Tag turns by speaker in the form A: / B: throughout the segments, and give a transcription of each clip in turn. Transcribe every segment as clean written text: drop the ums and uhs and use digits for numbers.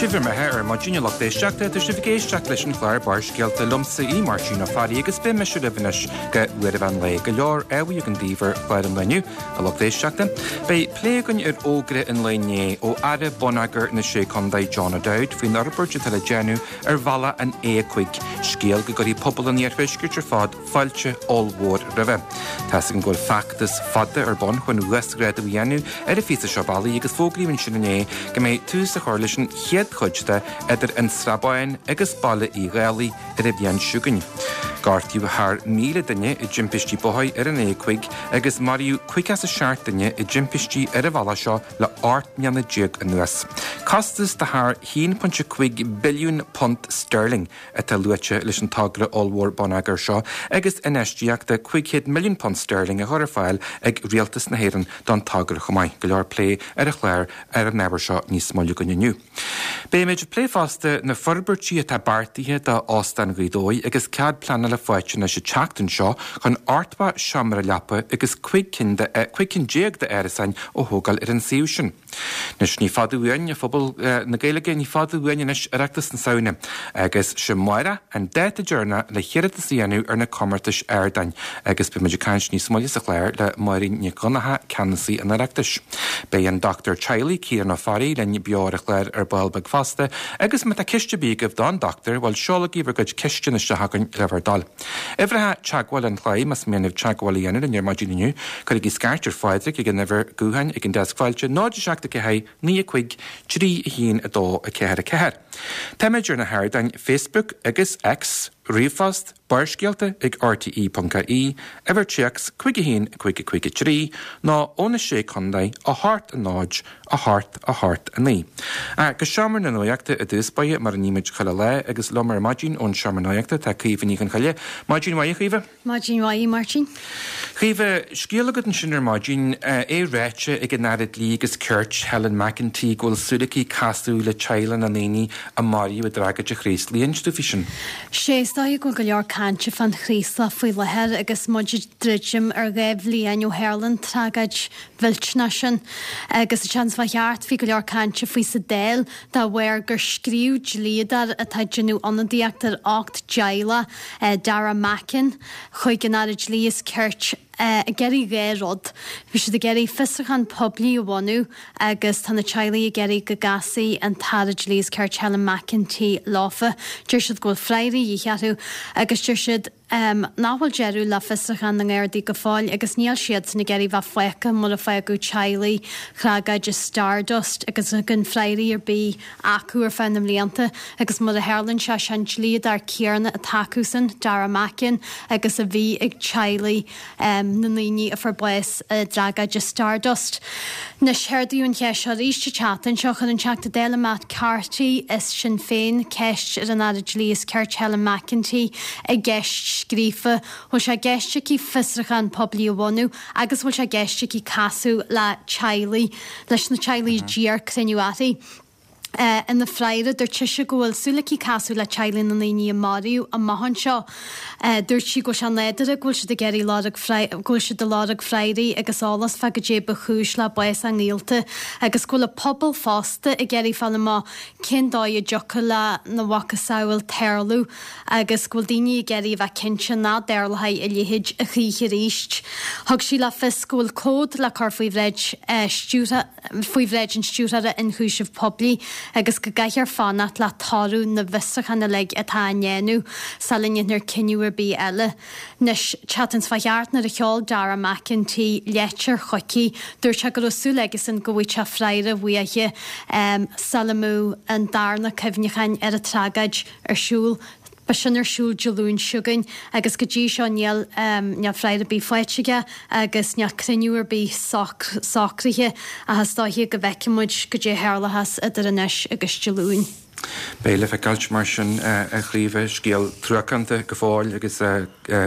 A: Sibh ar mbeatha ar maidin a lucht éisteachta, tá sibh ag éisteacht leis an chlár Barrscéalta liomsa í Máirtín Ó Fearraigh agus beidh mise libh anois go uair an mheán lae. Go leor ábhair againn daoibh ar chlár an lae inniu, a lucht éisteachta. Beidh plé againn ar fhógra an lae inné ó Aire Bonneagair na Sé Contae John O'Dowd faoin fhorbairt atá le déanamh ar bhealach an A5, scéal go gcuirfidh pobal an iarthuaiscirt ar fad fáilte ollmhór roimhe. Tá's againn go bhfuil feachtas fada ar bun chun uasghrádú a dhéanamh ar an phíosa seo bealaigh agus fógraíodh ansin inné go mbeidh tús á chur leis an chéad chuid de idir an Srath Bán agus Baile Uí Dhálaigh ar an bhliain seo chugainn. Gortaíodh thar 1,000 duine i dtimpistí bóthair ar an A5 agus maraíodh 57 duine i dtimpistí ar an bhealach seo le 18 mbliana anuas. Costas de thar £1.5 billiún sterling atá luaite leis an togra ollmhór bonneagair seo agus infheistíocht de £500 milliún sterling á chur ar fáil ag Rialtas na hÉireann don togra chomh maith. Go leor plé ar an chlár ar an ábhar seo níos moille againn inniu. Beimid ag plé fosta na forbairtí atá beartaithe do Óstán Ghaoth Dobhair agus cead pleanála faighte anois an tseachtain seo chun 80 seomra leapa agus 15 cinn d'árasáin a thógáil ar an suíomh sin. Anois, ní fada uainn, a phobal na Gaeilge, ní fada uainn anois Oireachtas na Samhna, agus sé amárach an dáta deireanach le hiarratas a dhéanamh ar na comórtais ardáin, agus beidh muid ag caint níos moille sa chlár le Máirín Nic Dhonncha, Ceannasaí an Oireachtais. Beidh an dochtúir teaghlaigh, Ciarán Ó Fearraigh, linn beo ar an chlár ar ball beag fosta, agus má tá ceist ar bith agaibh don dochtúir, bhuel, seolaigí bhur gcuid ceisteanna isteach chugainn le bhur dtoil. Uimhreacha teagmhála an chláir, más mian libh teagmháil a dhéanamh linn ar maidin inniu, cuirigí scairt ar Phádraig ag an uimhir gutháin ag an deasc fáilte, 0 7 4 9 5 3 1 2 4 4. Táimid ar na hardáin Facebook agus X, ríomhphost, Barrscéalta ag rte.ie, uimhir téacs 5 1 5 5 3, nó ó na Sé Contae, 8 0 8 8 9. Go Seomra na Nuachta i dtús báire, mar a nímid chuile lá, agus liom ar maidin ón Seomra Nuachta tá Caoimhe Ní Chonchoille. Maidin mhaith, a Chaoimhe.
B: Maidin mhaith, a Mháirtín.
A: Caoimhe, scéal agat ansin ar maidin, é ráite ag an Aire Dlí agus Cirt, Helen McEntee, go bhfuil súil aici casadh le teaghlaigh na ndaoine a maraíodh i dtragóid an Chraoslaigh. Inis dúinn faoi sin.
B: Sé, is dóigh go bhfuil go leor cainte fán Chraoslach faoi láthair agus muid ag druidim ar 2 bhliain ó tharla an tragóid mhillteanach sin. Agus an tseachtain seo chuaigh thart, bhí go leor cainte faoi sa Dáil de bharr gur scríobh dlíodóir atá ag déanamh ionadaíocht ar 18 dteaghlach, Dara Mackin, chuig an Aire Dlí is Cirt ag iarraidh dhá rud. Bhí siad ag iarraidh fiosrúchán poiblí a bhunú agus tá na teaghlaigh ag iarraidh go gcasfaidh an tAire Dlí is Cirt Helen McEntee leofa. Deir siad go bhfuil freagra de dhíth orthu agus deir siad, nach bhfuil deireadh le fiosrúchán na nGardaí go fóill agus níl siadsan ag iarraidh bheith fágtha mar a fágadh teaghlaigh thragóid Stardust agus gan freagraí ar bith acu ar feadh na mblianta agus mar a tharlaíonn sé, sé an dlíodóir céanna atá acusan, Dara Mackin, agus a bhí ag teaghlaigh na ndaoine a fuair bás i dtragóid Stardust. Anois, ardaíodh an cheist seo arís an tseachtain seo. Chuir an Teachta Dála Matt Carthy as Sinn Féin ceist ar an Aire Dlí is Cirt Helen McEntee i gceist scríofa. Bhfuil sé i gceist aici fiosrúchán poiblí a bhunú agus bhfuil sé i gceist aici casadh le teaghlaigh, leis na teaghlaigh a d'iarr cruinniú uirthi. Ina freagra, dúirt sise go bhfuil súil aici casadh le teaghlaigh na ndaoine a maraíodh amach anseo. Dúirt sí go bhfuil sé nádúrtha go bhfuil siad ag iarraidh lorg go bhfuil siad ag lorg freagraí agus eolas fá goidé ba chúis le bás a ngaolta agus go bhfuil an pobal fosta ag iarraidh fáil amach cén dóigh a dtiocfadh lena mhacasamhail tarlú agus go bhfuil daoine ag iarraidh a bheith cinnte nach dtarlóidh a leithéid a choíche arís. Thug sí le fios go bhfuil comhad le cur faoi bhráid stiúrtha faoi bhráid an Stiúrthóra Ionchúiseamh Poiblí agus go gcaithfear fanacht le toradh na bhfiosrúchán uilig atá á ndéanamh sula ndéanfar cinneadh ar bith eile. Anois, tseachtain seo chuaigh thart nuair a sheol Dara McEntee leitir chuici, dúirt sé go raibh súil aigesan go bhfaigheadh sé freagra uaithi sula mbeadh an darna cuimhneachán ar an tragóid ar siúl. Beidh sin ar siúl Dé Luain seo chugainn agus go dtí seo níl níl freagra ar bith faighte aige agus níl cruinniú ar bith socraithe ach is dóiche go bhfeicfidh muid goidé a tharlóchas idir anois agus Dé Luain.
A: Beidh le feiceáilt mar sin a Chaoimhe, scéal truacánta go fóill agus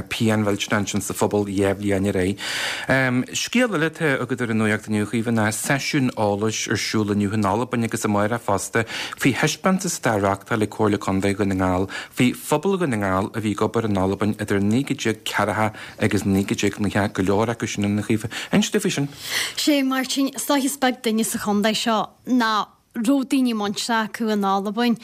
A: pian mhillteanach ansin sa phobal 2 bhliain ar aghaidh. Scéal eile atá agat ar an nuacht inniu, a Chaoimhe, ná seisiún eolais ar siúl inniu in Albain agus amárach fosta faoi thaispeántas atá á reáchtáil ag Comhairle Contae Dhún na nGall faoi phobal Dhún na nGall a bhí ag obair in Albain idir 1940 agus 1990, go leor acu sin ann, a Chaoimhe. Inis dúinn faoi sin.
B: Sé, Máirtín, is dóiche is beag duine sa chontae seo nach. Raibh daoine muinteartha acu in Albain,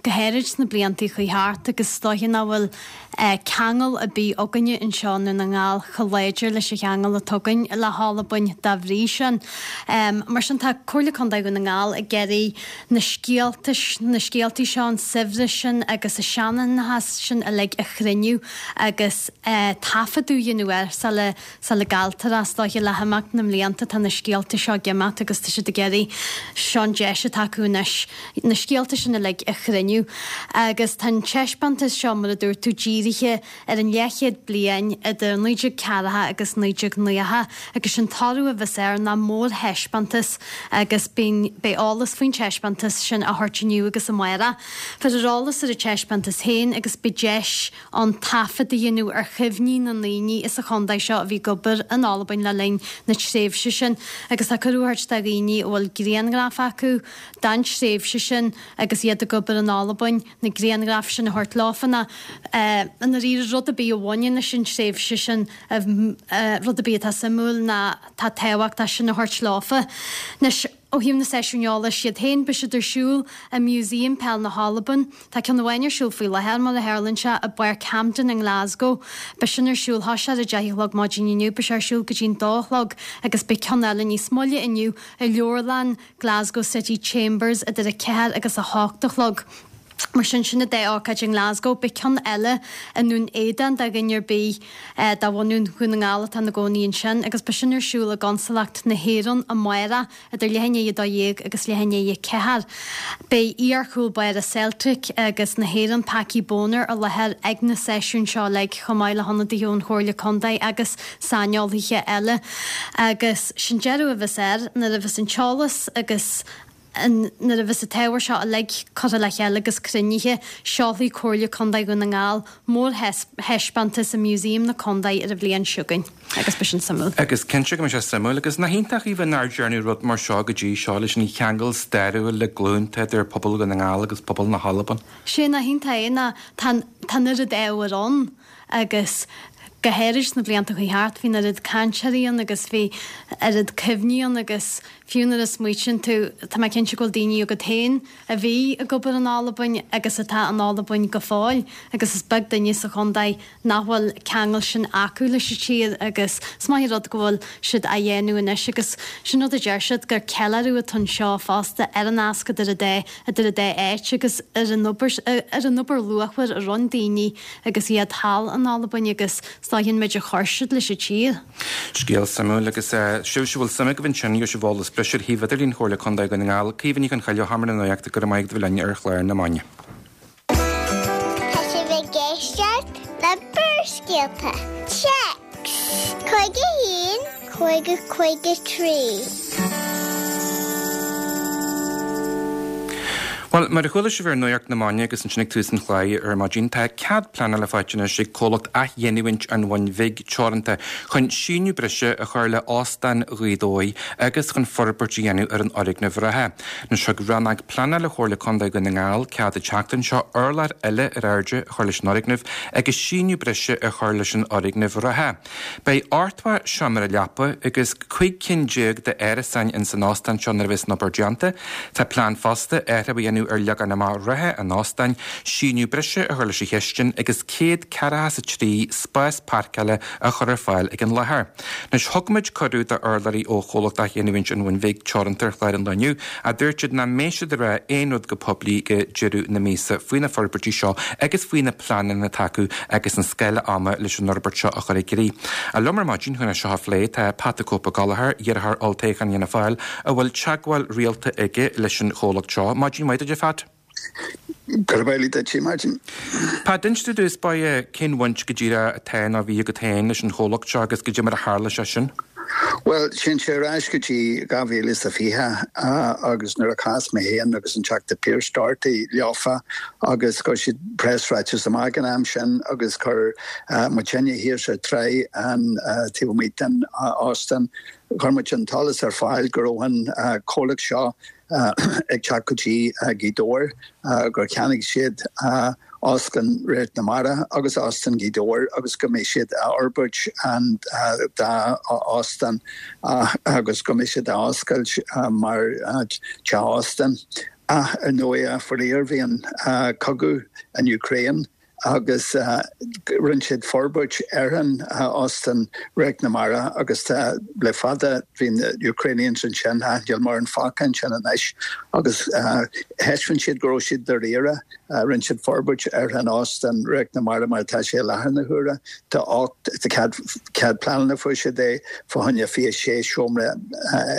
B: go háirid sna blianta a chuaigh thart, agus is dóiche nach bhfuil ceangal ar bith againne anseo i nDún na nGall chomh láidir leis an cheangal atá againn le hAlbain dá bhrí sin. Mar sin tá Comhairle Contae Dhún na nGall ag iarraidh na scéalta, na scéaltaí seo, an saibhreas sin agus an seanchas sin uilig a chruinniú agus taifeadadh a dhéanamh air sula Sula gcailltear é, is dóiche, le himeacht na mblianta tá na scéalta seo ag imeacht agus tá siad ag iarraidh, seo an deis atá acu anois na scéalta sin uilig a chruinniú. Agus tá an taispeántas seo, mar a dúirt tú, dírithe ar an leathchéad bliain idir 1940 agus 1990 agus sé'n toradh a bheas air ná mórthaispeántas agus beidh eolas faoin taispeántas sin á thabhairt inniu agus amárach. Cuirfear eolas ar an taispeántas féin agus beidh deis ann taifead a dhéanamh ar chuimhní na ndaoine as an chontae seo a bhí ag obair in Albain le linn na tréimhse sin agus tá cuireadh á thabhairt do dhaoine a bhfuil grianghraif acu den tréimhse sin agus iad ag obair in Albain na grianghraif sin a thabhairt leofa nó i ndáiríre rud ar bith a bhaineann leis an tréimhse sin, rud ar bith atá suimiúil nó atá tábhachtach sin a thabhairt leofa. Anois. Ó thaobh na seisiúin eolais iad féin, beidh siad ar siúl i Museum Peil na hAlban. Tá ceann amháin ar siúl faoi láthair, mar a tharlaíonn sé, i bPáirc Hampden i nGlasgow. Beidh sin ar siúl, thosaigh sé ar a deich a chlog maidin inniu, beidh sé ar siúl go dtí'n dó a chlog agus beidh ceann eile níos moille inniu i Leabharlann Glasgow City Chambers idir a ceathair agus a hocht a chlog. Mar sin, sin an dá ócáid i nGlasgow. Beidh ceann eile i nDún Éideann do dhuine ar bith de bhunadh Dhún na nGall atá ina gcónaí ansin agus beidh sin ar siúl i gConsalacht na hÉireann amárach idir leath i ndiaidh 12 agus leath i ndiaidh 4. Beidh iar-chúl báire Celtic agus na hÉireann Packie Bonner i láthair ag na seisiúin seo uilig chomh maith le hionadaithe ón Chomhairle Contae agus saineolaithe eile. Agus sé'n deireadh a bheas air nuair a bheas an t-eolas agus Nuair a bheas an t-ábhar seo uilig curtha le chéile agus cruinnithe, seolfaidh Comhairle Contae Dhún na nGall mórthaispeántas i Museum na Contae ar an bhliain seo chugainn agus beidh sin suimiúil.
A: Agus cinnte go mbeidh sé suimiúil agus nach iontach Aoibhe nár dearnadh rud mar seo go dtí seo leis an cheangal stairiúil le glúnta idir pobal Dhún na nGall agus pobal na hAlban.
B: Sé nach iontach é ná tá tá an oiread ábhair ann agus go háirid sna blianta a chuaigh thart bhí an oiread cainteoirí ann agus bhí oiread cuimhní ann agus fiú nuair a smaoitíonn tú, tá mé cinnte go bhfuil daoine agat féin a bhí ag obair in Albain agus atá in Albain go fóill agus is beag duine sa chontae nach bhfuil ceangal sin acu leis an tír agus is maith an rud go bhfuil siad á dhéanamh anois agus sin rud a deir siad gur ceiliúradh atá anseo fosta ar an nasc idir an dá idir an dá áit agus ar an obair ar an obair luachmhar a rinne daoine agus iad thall in Albain agus is dóiche an méid a chuir siad leis an tír.
A: Scéal suimiúil agus sibhse a bhfuil suim agaibh ansin, gheobhaidh sibh eolas breise ar shuíomh idirlín Chomhairle Contae Dhún na nGall. Caoimhe Ní Chonchoille ó Sheomra na Nuachta, go raibh maith agat a bheith linn ar chlár na Maidine.
C: Tá sibh ag éisteacht le Barrscéalta. Téacs 51 50 53.
A: Bhuel, mar a chuala sibh ar Nuacht na Maidine agus ansin ag tús an chláir ar maidin, tá cead pleanála faighte anois ag comhlacht Athghiniúint an Bhun Bhig Teoranta chun síneadh breise a chur le Óstán Ghaoth Dobhair agus chun forbairt a dhéanamh ar an fhoirgneamh reatha. Anois thug Rannóg Pleanála Chomhairle Contae Dhún na nGall cead an tseachtain seo urlár eile ar airde a chur leis an fhoirgneamh agus síneadh breise a chur leis an fhoirgneamh reatha. Beidh 80 seomra leapa agus 15 cinn d'árasáin ins an óstán seo nuair a bheas an obair déanta. Tá plean fosta athrú a dhéanamh ar leagan amach reatha an óstáin, síneadh breise a chur leis an chistin agus 143 spás páirceála a chur ar fáil ag an láthair. Anois, thug muid cuireadh d'urlabhraí ó chomhlacht Athghiniúint an Bhun Bhig Teoranta ar chlár an lae inniu ach dúirt siad nach mbeidh siad ag rá aon rud go poiblí go deireadh na míosa faoi na forbairtí seo agus faoi na pleananna atá acu agus an scála ama leis an fhorbairt seo a chur i gcrích. Liom ar maidin chun é seo a phlé tá Pat the Cope Ó Gallchóir, iarrthóir olltoghcháin Fhianna Fáil, a bhfuil teagmháil rialta aige leis an chomhlacht seo. Maidin mhaith duit, a Phat.
D: Gurb amhlaidh duit, a Mháirtín.
A: Pat, inis i dtús báire cén bhaint go díreach atá nó a bhí agat féin leis an chomhlacht seo agus goidé mar a tharla sé sin?
D: Bhuel, téann sé ar ais go dtí 2020 agus nuair a chas mé féin agus an Teachta Pearse Doherty leofa agus chuir siad preasráiteas amach an am sin agus chuir muidinne thiar sa tsraith an taobh amuigh den óstán. Chuir muid an t-eolas ar fáil go raibh an comhlacht seo ag teacht go dtí Gaoth Dobhair, gur cheannaigh siad Óstlann Radharc na Mara agus Óstán Ghaoth Dobhair agus go mbeidh siad a fhorbairt an dá óstán agus go mbeidh siad á oscailt mar teach óstán. Ach ar ndóigh, faraor, bhí an cogadh in Ukraine agus rinne siad forbairt ar an Óstán Radharc na Mara agus tá le fada bhí na Ukrainians ansin ach níl mórán fágtha ansin anois agus thaispeáin siad go raibh siad dáiríre. Rinne siad forbairt ar an Óstán Radharc na Mara mar atá sé i láthair na huaire. Tá 8, tá cead, cead pleanála fuair siad é fá choinne 26 seomra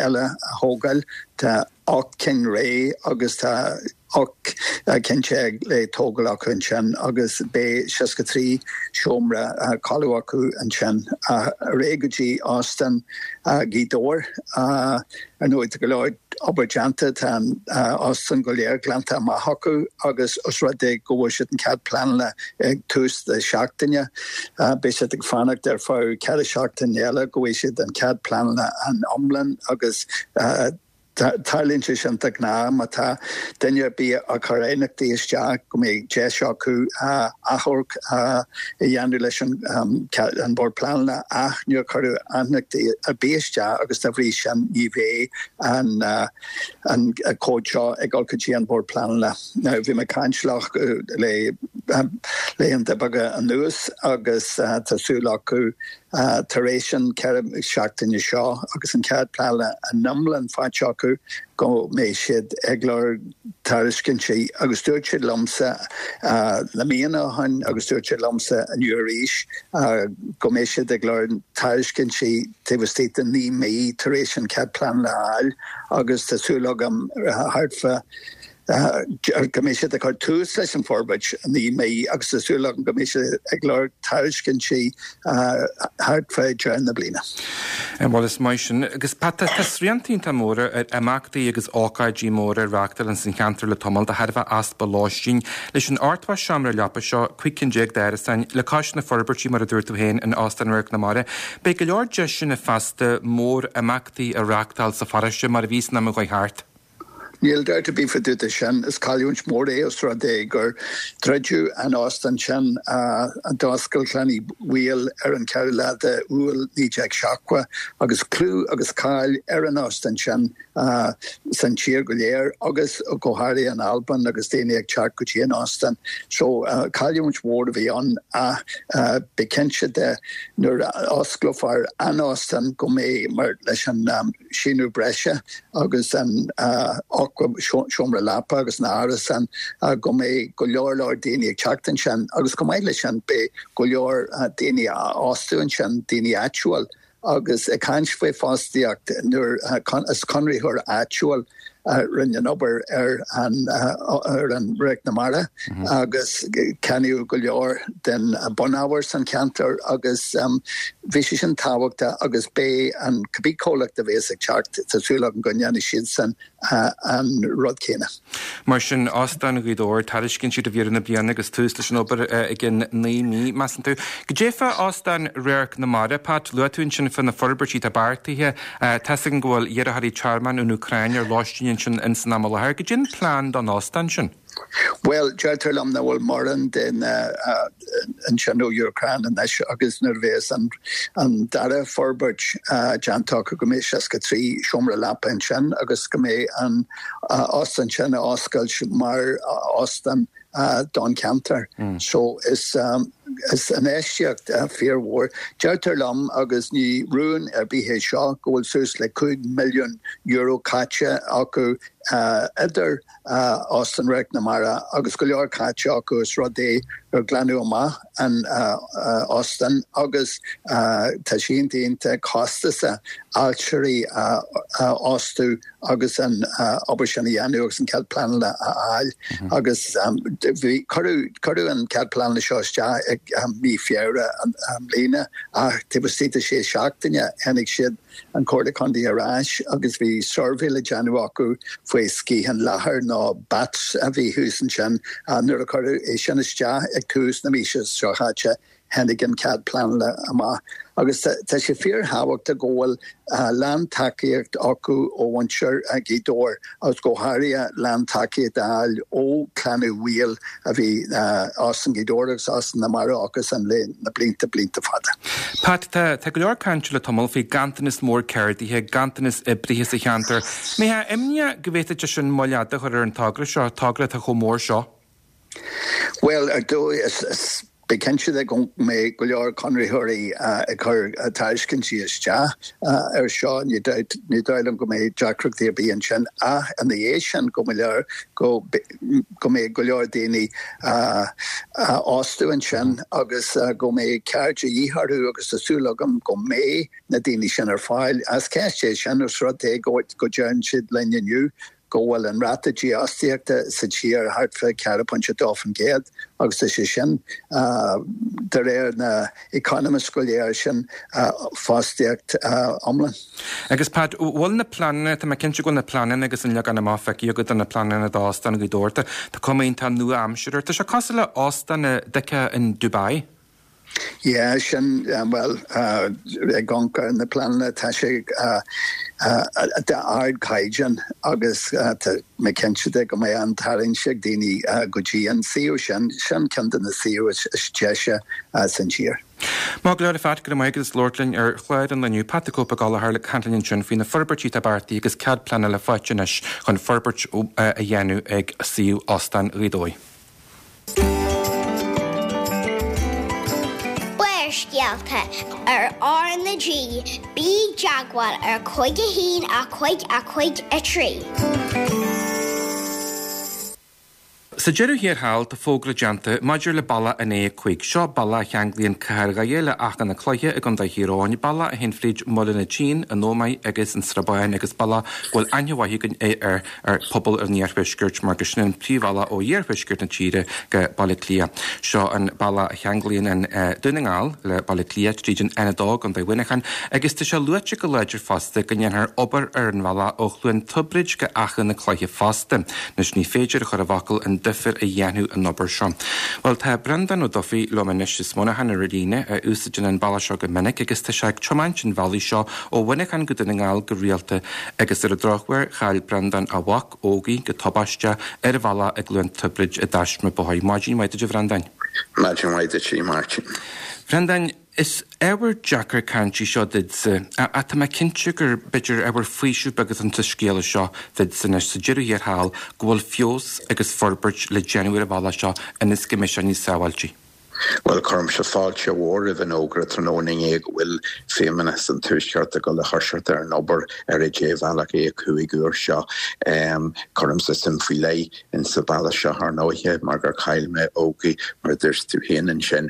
D: eile a thógáil. Tá 8 cinn réidh agus tá 18 cinn le tógáil acu ansin agus beidh 63 seomra codladh acu ansin. Ar aghaidh go dtí Óstán Ghaoth Dobhair. Ar ndóigh tá go leor obair déanta, tá an óstán go léir glanta amach acu agus os rud é go bhfuair siad an cead pleanála ag tús na seachtaine, beidh siad ag fanacht ar feadh 4 seachtaine eile go bhfaighidh siad an cead pleanála an iomlán agus Tarlaíonn sé sin de ghnáth má tá duine ar bith ag cur aighneachtaí isteach go mbeidh deis acu achomharc a dhéanamh leis an Bord Pleanála ach níor cuireadh aighneachtaí ar bith isteach agus dá bhrí sin ní bheidh an comhad seo ag dul go dtí an Bord Pleanála. Now bhí mé ag caint leo le laethanta beaga anuas agus tá súil acu Tar éis an 4 seachtaine seo agus an cead pleanála an iomlán faighte acu go mbeidh siad ag lorg tairiscintí agus dúirt siad liomsa na míonna ó shin agus dúirt siad liomsa inniu arís go mbeidh siad ag lorg tairiscintí taobh istigh de 9 mí tar éis an cead pleanála a fháil agus tá súil agam thart fá go mbeidh siad ag cur tús leis an bhforbairt i 9 mí agus tá súil agam go mbeidh siad ag lorg tairiscintí thart fá deireadh na bliana.
A: Bhuel, is maith sin. Agus Pat, tá srianta iontach móra ar imeachtaí agus ócáidí móra a reáchtáil ins an cheantar le tamall de thairbhe easpa lóistín. Leis an 80 seomra leapa seo, 15 cinn d'árasáin, le cois na forbairtí mar a dúirt tú féin in Óstán Radharc na Mara, beidh go leor deiseanna feasta mór-imeachtaí a reáchtáil sa pharóiste mar a bhí san am a chuaigh thart.
D: Níl dabht ar bith fá dtaobh de sin. Is cailliúint mhór é os rud é gur druideadh an óstán sin a d'oscail Clann Uí Bhaoill ar an 4ú lá de Iúil 1970 agus clú agus cáil ar an óstán sin san tír go léir agus go háirithe in Albain agus daoine ag teacht go dtí an óstán. So cailliúint mhór a bhí ann ach bí cinnte de nuair a osclófar an óstán go mbeidh mar leis an síneadh breise agus an 80 seomra leapa agus na árasáin go mbeidh go leor leor daoine ag teacht ansin agus chomh maith leis sin beidh go leor daoine á fhostú ansin, daoine áitiúil agus ag caint faoi fostaíocht nuair is conraitheoir áitiúil a rinne an obair ar an ar an Radharc na Mara agus ceannaíodh go leor den bunábhar san cheantar agus bhí sé sin tábhachtach agus beidh an cibé comhlacht a bhéas ag teacht, tá súil agam go ndéanfaidh siadsan an rud céanna.
A: Mar sin, Óstán Ghaoth Dobhair, tairiscintí roimh dheireadh na bliana agus tús leis an obair i gcionn 9 mí, measann tú. Goidé fá Óstán Radharc na Mara, Pat, luaigh tú ansin fá na forbairtí atá beartaithe. Tá's againn go bhfuil iarrthóirí tearmainn ón Úcráin ar lóistín ansin ins an am i láthair. Goidé an plean don óstán sin?
D: Bhuel, deirtear liom nach bhfuil mórán daoine ansin ó Úcráin anois agus nuair a bhéas an dara forbairt déanta acu go mbeidh 63 seomra leapa ansin agus go mbeidh an óstán sin á oscailt mar óstán don cheantar. So is is infheistíocht fíormhór. Deirtear liom, agus ní rún ar bith é seo, go bhfuil suas le €5 milliún caite acu idir Óstán Radharc na Mara agus go leor caite acu os rud é gur glanadh amach an óstán agus tá sé iontach iontach costasach ailtirí a fhostú agus an obair sin a dhéanamh agus an cead pleanála a fháil agus bhí cuireadh cuireadh an cead pleanála seo isteach ag mí Feabhra i mbliana ach taobh istigh de sé seachtaine tháinig siad an Comhairle Contae ar ais agus bhí suirbhé le déanamh acu faoi sciathán leathair nó bats a bhí thuas ansin. Nuair a cuireadh é sin isteach ag tús na míosa seo chaite. tháinig an cead pleanála amach. Agus tá sé fíorthábhachtach go bhfuil lántacaíocht acu ó mhuintir Ghaoth Dobhair agus go háirithe lántacaíocht a fháil ó Clann Uí Bhaoill a bhí Óstán Ghaoth Dobhair agus Óstán na Mara acusan le na blianta, blianta fada.
A: Pat, tá go leor cainte le tamall faoi ganntanas mór ceardaithe, ganntanas oibrithe sa cheantar. Mbeifeá imníoch go bhféadfadh sé sin moill fhada a chur ar an togra seo, togra atá chomh mór seo?
D: Bhuel, ar dóigh, is bí cinnte de go mbeidh go leor conraitheoirí ag cur tairiscintí isteach air seo. Ní dóigh liom go mbeidh deacrachtaí ar bith ansin ach ina dhiaidh sin go mbeidh go mbeidh go leor daoine á bhfostú ansin agus go mbeidh ceird de dhíth orthu agus tá súil agam go mbeidh na daoine sin ar fáil. Is ceist é sin, os rud é go deireann siad linn inniu go bhfuil an ráta dífhostaíochta sa tír thart fá 4.2% agus tá sé sin, de réir na economists go léir, sin fostaíocht iomlán.
A: Agus Pat, bhfuil na pleananna, tá mé cinnte go bhfuil na pleananna agus an leagan amach feicthe agat do na pleananna d'Óstán Ghaoth Dobhair, tá cuma iontach nua-aimseartha air, tá sé cosúil le óstán a d'fheicfeá in Dubai.
D: Yeah, sin, bhuel, ag amharc ar na pleananna, tá sé d'ardchaighdeán agus tá mé cinnte de go mbeidh an-tarraingt ag daoine go dtí an suíomh sin. Sin ceann de na suíomh is deise san tír.
A: Maith go leor a Phat, go raibh maith agat as labhairt linn ar chlár an lae inniu. Pat the Cope Ó Gallchóir ag caint linn ansin faoi na forbairtí atá beartaithe agus cead pleanála faighte anois chun forbairt a dhéanamh ag suíomh Óstán Ghaoth Dobhair.
C: Barrscéalta ar R na G, bí i dteagmháil ar 5 1 5 5 3.
A: Sa deireadh thiar thall, tá fógra déanta maidir le bealach an A5. Seo bealach a cheanglaíonn cathair Dhoire le Achadh na Cloiche i gContae Thír Eoghain, bealach a théann fríd Mhuileann an tSín, an Ómaigh agus an Srath Bán agus bealach go bhfuil aithne mhaith againn air ar phobal an iarthuaiscirt mar gur sin an príomhbhealach ó iarthuaisceart na tíre go Baile Átha Cliath. Seo an bealach a cheanglaíonn an Dún na nGall le Baile Átha Cliath tríd an N2 i gContae Mhuineacháin agus tá sé luaite go láidir fosta go ndéanfar obair ar an bhealach ó Chluain Tiobraid go Achadh na Cloiche fosta. Anois ní féidir a chur i bhfocal an difear a dhéanfadh an obair seo. Bhuel tá Breandán Ó Dufaigh liom anois as Muineachán ar an líne a úsáideann an bealach seo go minic agus tá sé ag tiomáint an bhealaigh seo ó Mhuineachán go Dún na nGall go rialta Agus ar an drochuair, chaill Breandán a mhac, Ógie, go tubaisteach ar an bhealach i gCluain Tiobraid i dtaisme bóthair. Maidin mhaith duit a Bhreandáin.
E: Maidin mhaith duit a Mháirtín.
A: Bhreandáin, is ábhar deacair cainte í seo duitse, ach tá mé cinnte gur, b'fhéidir, ábhar faoisimh beag atá sa scéala seo duitse anois sa deireadh thiar thall go bhfuil feabhas agus forbairt le déanamh ar an bhealach seo ionas go mbeidh sé níos sábháilte.
E: Bhuel, cuirimse fáilte mhór roimh an fhógra tráthnóna inné go bhfuil Feidhmeannas an Tuaiscirt ag dul a thoiseacht ar an obair ar an débhealach A5 úr seo. Cuirimse suim faoi leith in sa bhealach seo, ar ndóighe, mar gur chaill mé Ógie, mar a dúirt tú féin ansin.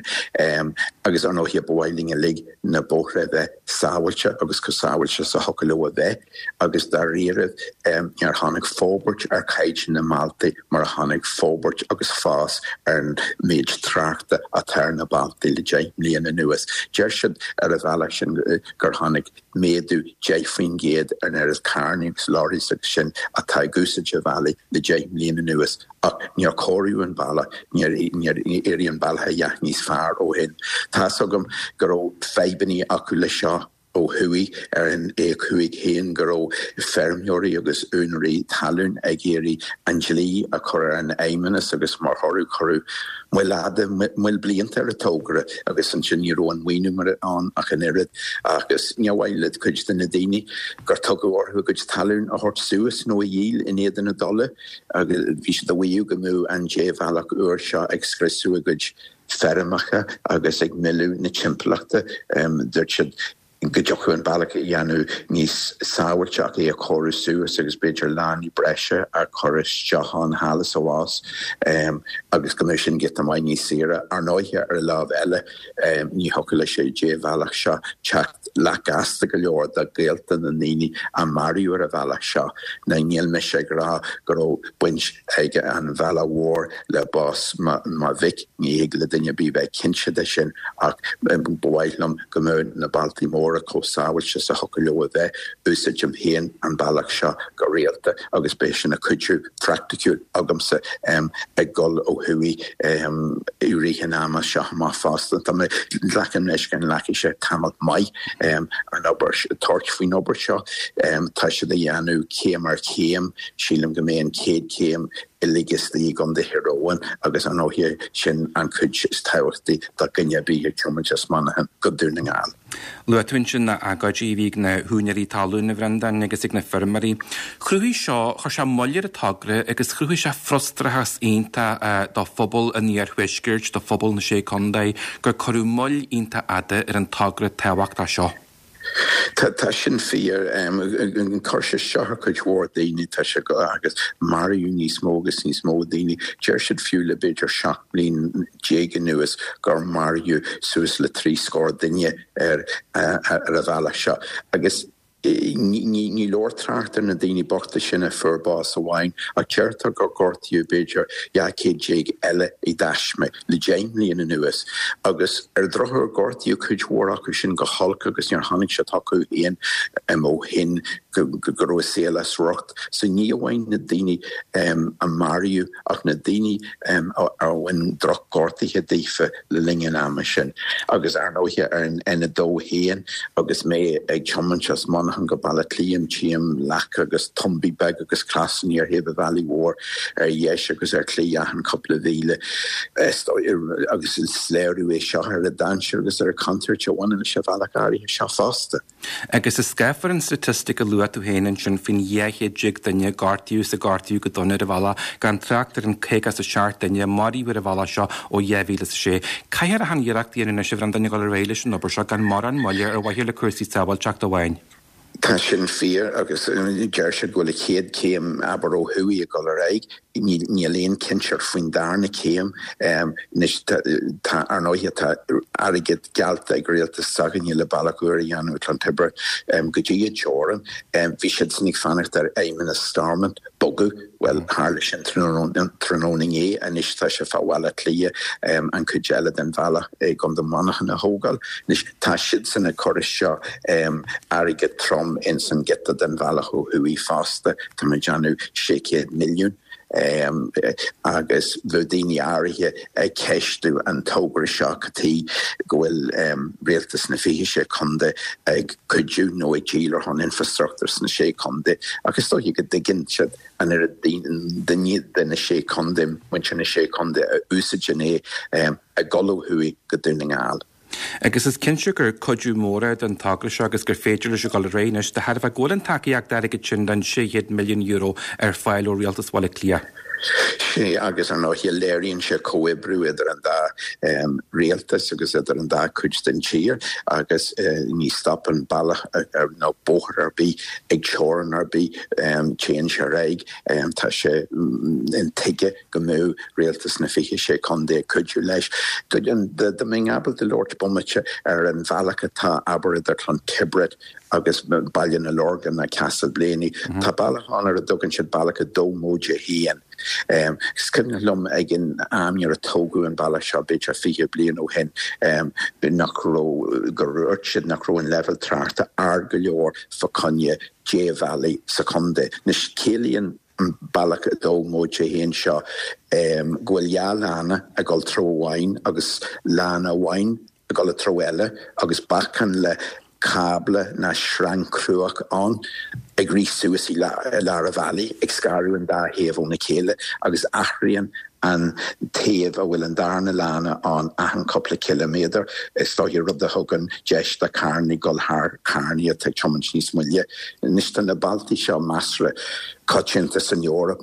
E: Agus ar ndóighe, ba mhaith linn uilig na bóithre a bheith sábháilte agus chomh sábháilte is a thiocfadh leo a bheith agus dáiríribh níor tháinig forbairt ar chaighdeán na mbealtaí mar a tháinig forbairt agus fás ar an méid tráchta atá ar na bealtaí le 10 mbliana anuas. Deir siad ar an bhealach sin gur tháinig méadú 10% ar an oiread carranna agus lorries agus sin atá ag úsáid an bhealaigh le 10 mbliana anuas. Ach níor cóiríodh an bealach, níor éirigh an bealach a dhath níos fearr ó shin. Tá's agam go raibh fadhbannaí acu leis seo ó thuaidh ar an A5 féin, go raibh feirmeoirí agus úinéirí talún ag iarraidh an dlí a chur ar an Fheidhmeannas agus mar thoradh cuireadh moill fhada, moill blianta ar an togra agus ansin ní raibh an maoiniú mar ann ach an oiread agus níor mhaith le cuid de na daoine gur tugadh orthu a gcuid talún a thabhairt suas nó a dhíol in éadan a dtola. Agus bhí siad ag maíomh go mbeadh an débhealach úr seo ag scriosadh a gcuid feirmeacha agus ag milleadh na timpeallachta. Dúirt siad go dtiocfadh an bealach a dhéanamh níos sábháilte ach é a chóiriú suas agus b'fhéidir lánaí breise a chur isteach ann thall is abhus agus go mbeadh sin giota maith níos saoire. Ar ndóighe, ar an lámh eile, Ní thiocfadh leis an débhealach seo teacht leath gasta go leor do ghaolta na ndaoine a maraíodh ar an bhealach seo. Now níl mise ag rá go raibh baint ag an bhealach mhór le bás mo mhic, ní thig le duine ar bith bheith cinnte de sin ach ba mhaith liom go mbeadh na bealtaí móra. mhóra chomh sábháilte is a thiocfadh leo a bheith. Úsáidim féin an bealach seo go rialta agus beidh sé ina chuidiú phraiticiúil agamsa ag dul ó thuaidh i rith an ama seo amach fosta. Tá mé, glacaim leis go nglacfaidh sé tamall maith an obair, tabhairt faoin obair seo. Tá siad á dhéanamh céim ar chéim. Sílim go mbeidh an chéad chéim uilig istigh i gContae Thír Eoghain agus ar ndóighe sin an chuid is tábhachtaí do dhuine ar bith ag tiomáint as Manchain go Dún na nGall.
A: Luaigh tú ansin na agóidí a bhí ag na húinéirí talún, a Bhreandáin, agus ag na feirmeoirí. Chruthaigh seo, chuir sé moill ar an togra agus chruthaigh sé frustrachas iontach do phobal an iarthuaiscirt, do phobal na Sé Contae, gur cuireadh moill iontach fhada ar an togra tábhachtach seo.
E: Tá sin fíor. Chuir sé isteach ar chuid mhór daoine, tá sé go, agus maraíodh níos mó agus níos mó daoine. Deir siad fiú le b'fhéidir 17 bliain anuas gur maraíodh suas le 30 scór duine ar an bhealach seo. Agus ní leor trácht ar na daoine bochta sin a fuair bás amháin, ach deirtear gur gortaíodh b'fhéidir 12 céad eile i dtaisme. le deich mbliana anuas, agus ar an drochuair gortaíodh cuid mhór acu sin go holc agus níor tháinig siad chucu féin ó shin go raibh a saol as riocht. So ní amháin na daoine a maraíodh ach na daoine a bhain drochghortuithe daofa le linn an ama sin. Agus ar ndóighe ar an N2 féin agus mé ag tiomáint as Monaghan go Baile Átha Cliath tchím leaca agus tumbaí beaga agus clasanna ar thaobh an bhealaigh mhóir ar dheis agus ar chlé achan cúpla mhíle agus is léiriú é seo ar an dainséar agus ar an chontúirt a bhaineann leis an bhealach áirithe seo fosta.
A: Agus is scáfar an staitistic a luaigh tú féin ansin faoin 12 chéad duine a gortaíodh is a gortaíodh go dona ar an bhealach, gan trácht ar an 57 duine a maraíodh ar an bhealach seo ó 2006. Caithfear achan iarracht a dhéanamh anois, a Bhreandáin, a dhul ar aghaidh leis an obair seo gan mórán moille ar mhaithe le cúrsaí sábháilteachta amháin.
E: Tá sin fíor agus deir siad go bhfuil an chéad chéim, abair, ó thuaidh ag dul ar aghaidh. Níl aon chinnteacht faoin darna céim. Anois tá, ar ndóighe, tá airgead geallta ag rialtas s'againne le bealach úr a dhéanamh i Clontibret go dtí an teorainn. Bhí siadsan ag fanacht ar Fheidhmeannas Stormont bogadh. Bhuel, tharla sin tráthnóna inné. Anois tá sé fá Bhaile Átha Cliath an chuid eile den bhealach i gContae Mhanchain a thógáil. Anois tá siadsan ag cur isteach airgead trom ins an giota den bhealach ó thuaidh fosta, tá mé ag déanamh 600 milliún, agus bheadh daoine áirithe ag ceistiú an togra seo cad chuige go bhfuil rialtas na 26 contae ag cuidiú nó ag díol ar shon infrastruchtúr sna sé contae ach is dóiche go dtuigeann siad an oiread daoine de na sé contae, muintir na sé contae a úsáideann é ag dul ó thuaidh go Dún na nGall.
A: Agus is cinnte gur cuidiú mór é don togra seo agus gur féidir leis a dhul ar aghaidh anois de thairbhe go bhfuil an tacaíocht airgid sin den €600 milliún ar fáil ó Rialtas Bhaile Átha Cliath.
E: Sea, agus ar ndóighe léiríonn sé comhoibriú idir an dá rialtas agus idir an dá chuid den tír agus ní stopann bealach nó bóthar ar bith ag teorainn ar bith, téann sé ar aghaidh. Tá sé intuigthe go mbeadh rialtas na 26 contae ag cuidiú leis. Dá mbeinn ábalta labhairt bomaite ar an bhealach atá, abair, idir Clontibret agus Baile na Lorgan ná Castleblayney, tá bealach ann ar a dtugann siad bealach 2 móide 1. Is cuimhin liom ag an am nuair a tógadh an bealach seo, b'fhéidir 20 bliain ó shin, nach raibh, gur dhúirt siad nach raibh an leibhéal tráchta ard go leor fá choinne débhealaigh sa chontae. Anois, ciallaíonn an bealach 2 móide 1 seo go bhfuil dhá lána ag dul treo amháin agus lána amháin ag dul i treo eile agus bacáin le cábla ná sreang cruach ann ag rith suas i lár an bhealaigh ag scaradh an dá thaobh óna chéile agus athraíonn an taobh a bhfuil an darna lána ann achan cúpla ciliméadar, is dóiche, rud a thugann deis do charranna dul thar charranna atá ag tiomáint níos moille. Anois tá na bealtaí seo measartha coitianta san Eoraip,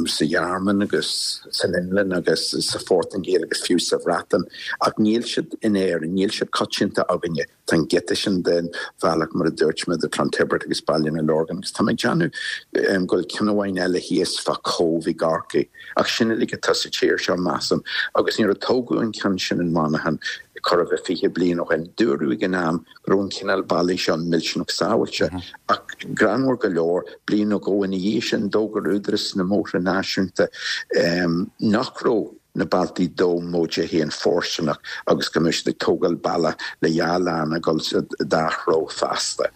E: sa Ghearmáin agus san Fhionlainn agus sa Phortaingéil agus fiú sa Bhreatain, ach níl siad in Éirinn, níl siad coitianta againne. Tá an giota sin den bhealach, mar a dúirt mé, idir Clontibret agus Baile na Lorgan agus tá mé ag déanamh go bhfuil ceann amháin eile thíos fá Cóbh i gCorcaigh. Ach sin uilig atá sa tír seo, measaim. Agus nuair a tógadh an ceann sin in Monaghan, chóir a bheith 20 bliain ó shin, dúradh ag an am go raibh an cineál bealaigh seo millteanach sábháilte. Ach greannmhar go leor, bliain nó dhó ina dhiaidh sin, d'fhógair Údarás na mBóithre Náisiúnta nach raibh. na bealtaí dó móide féin fóirsteanach agus go mbeidh siad ag tógáil bealach le dhá lán ag dul sa dá threo feasta.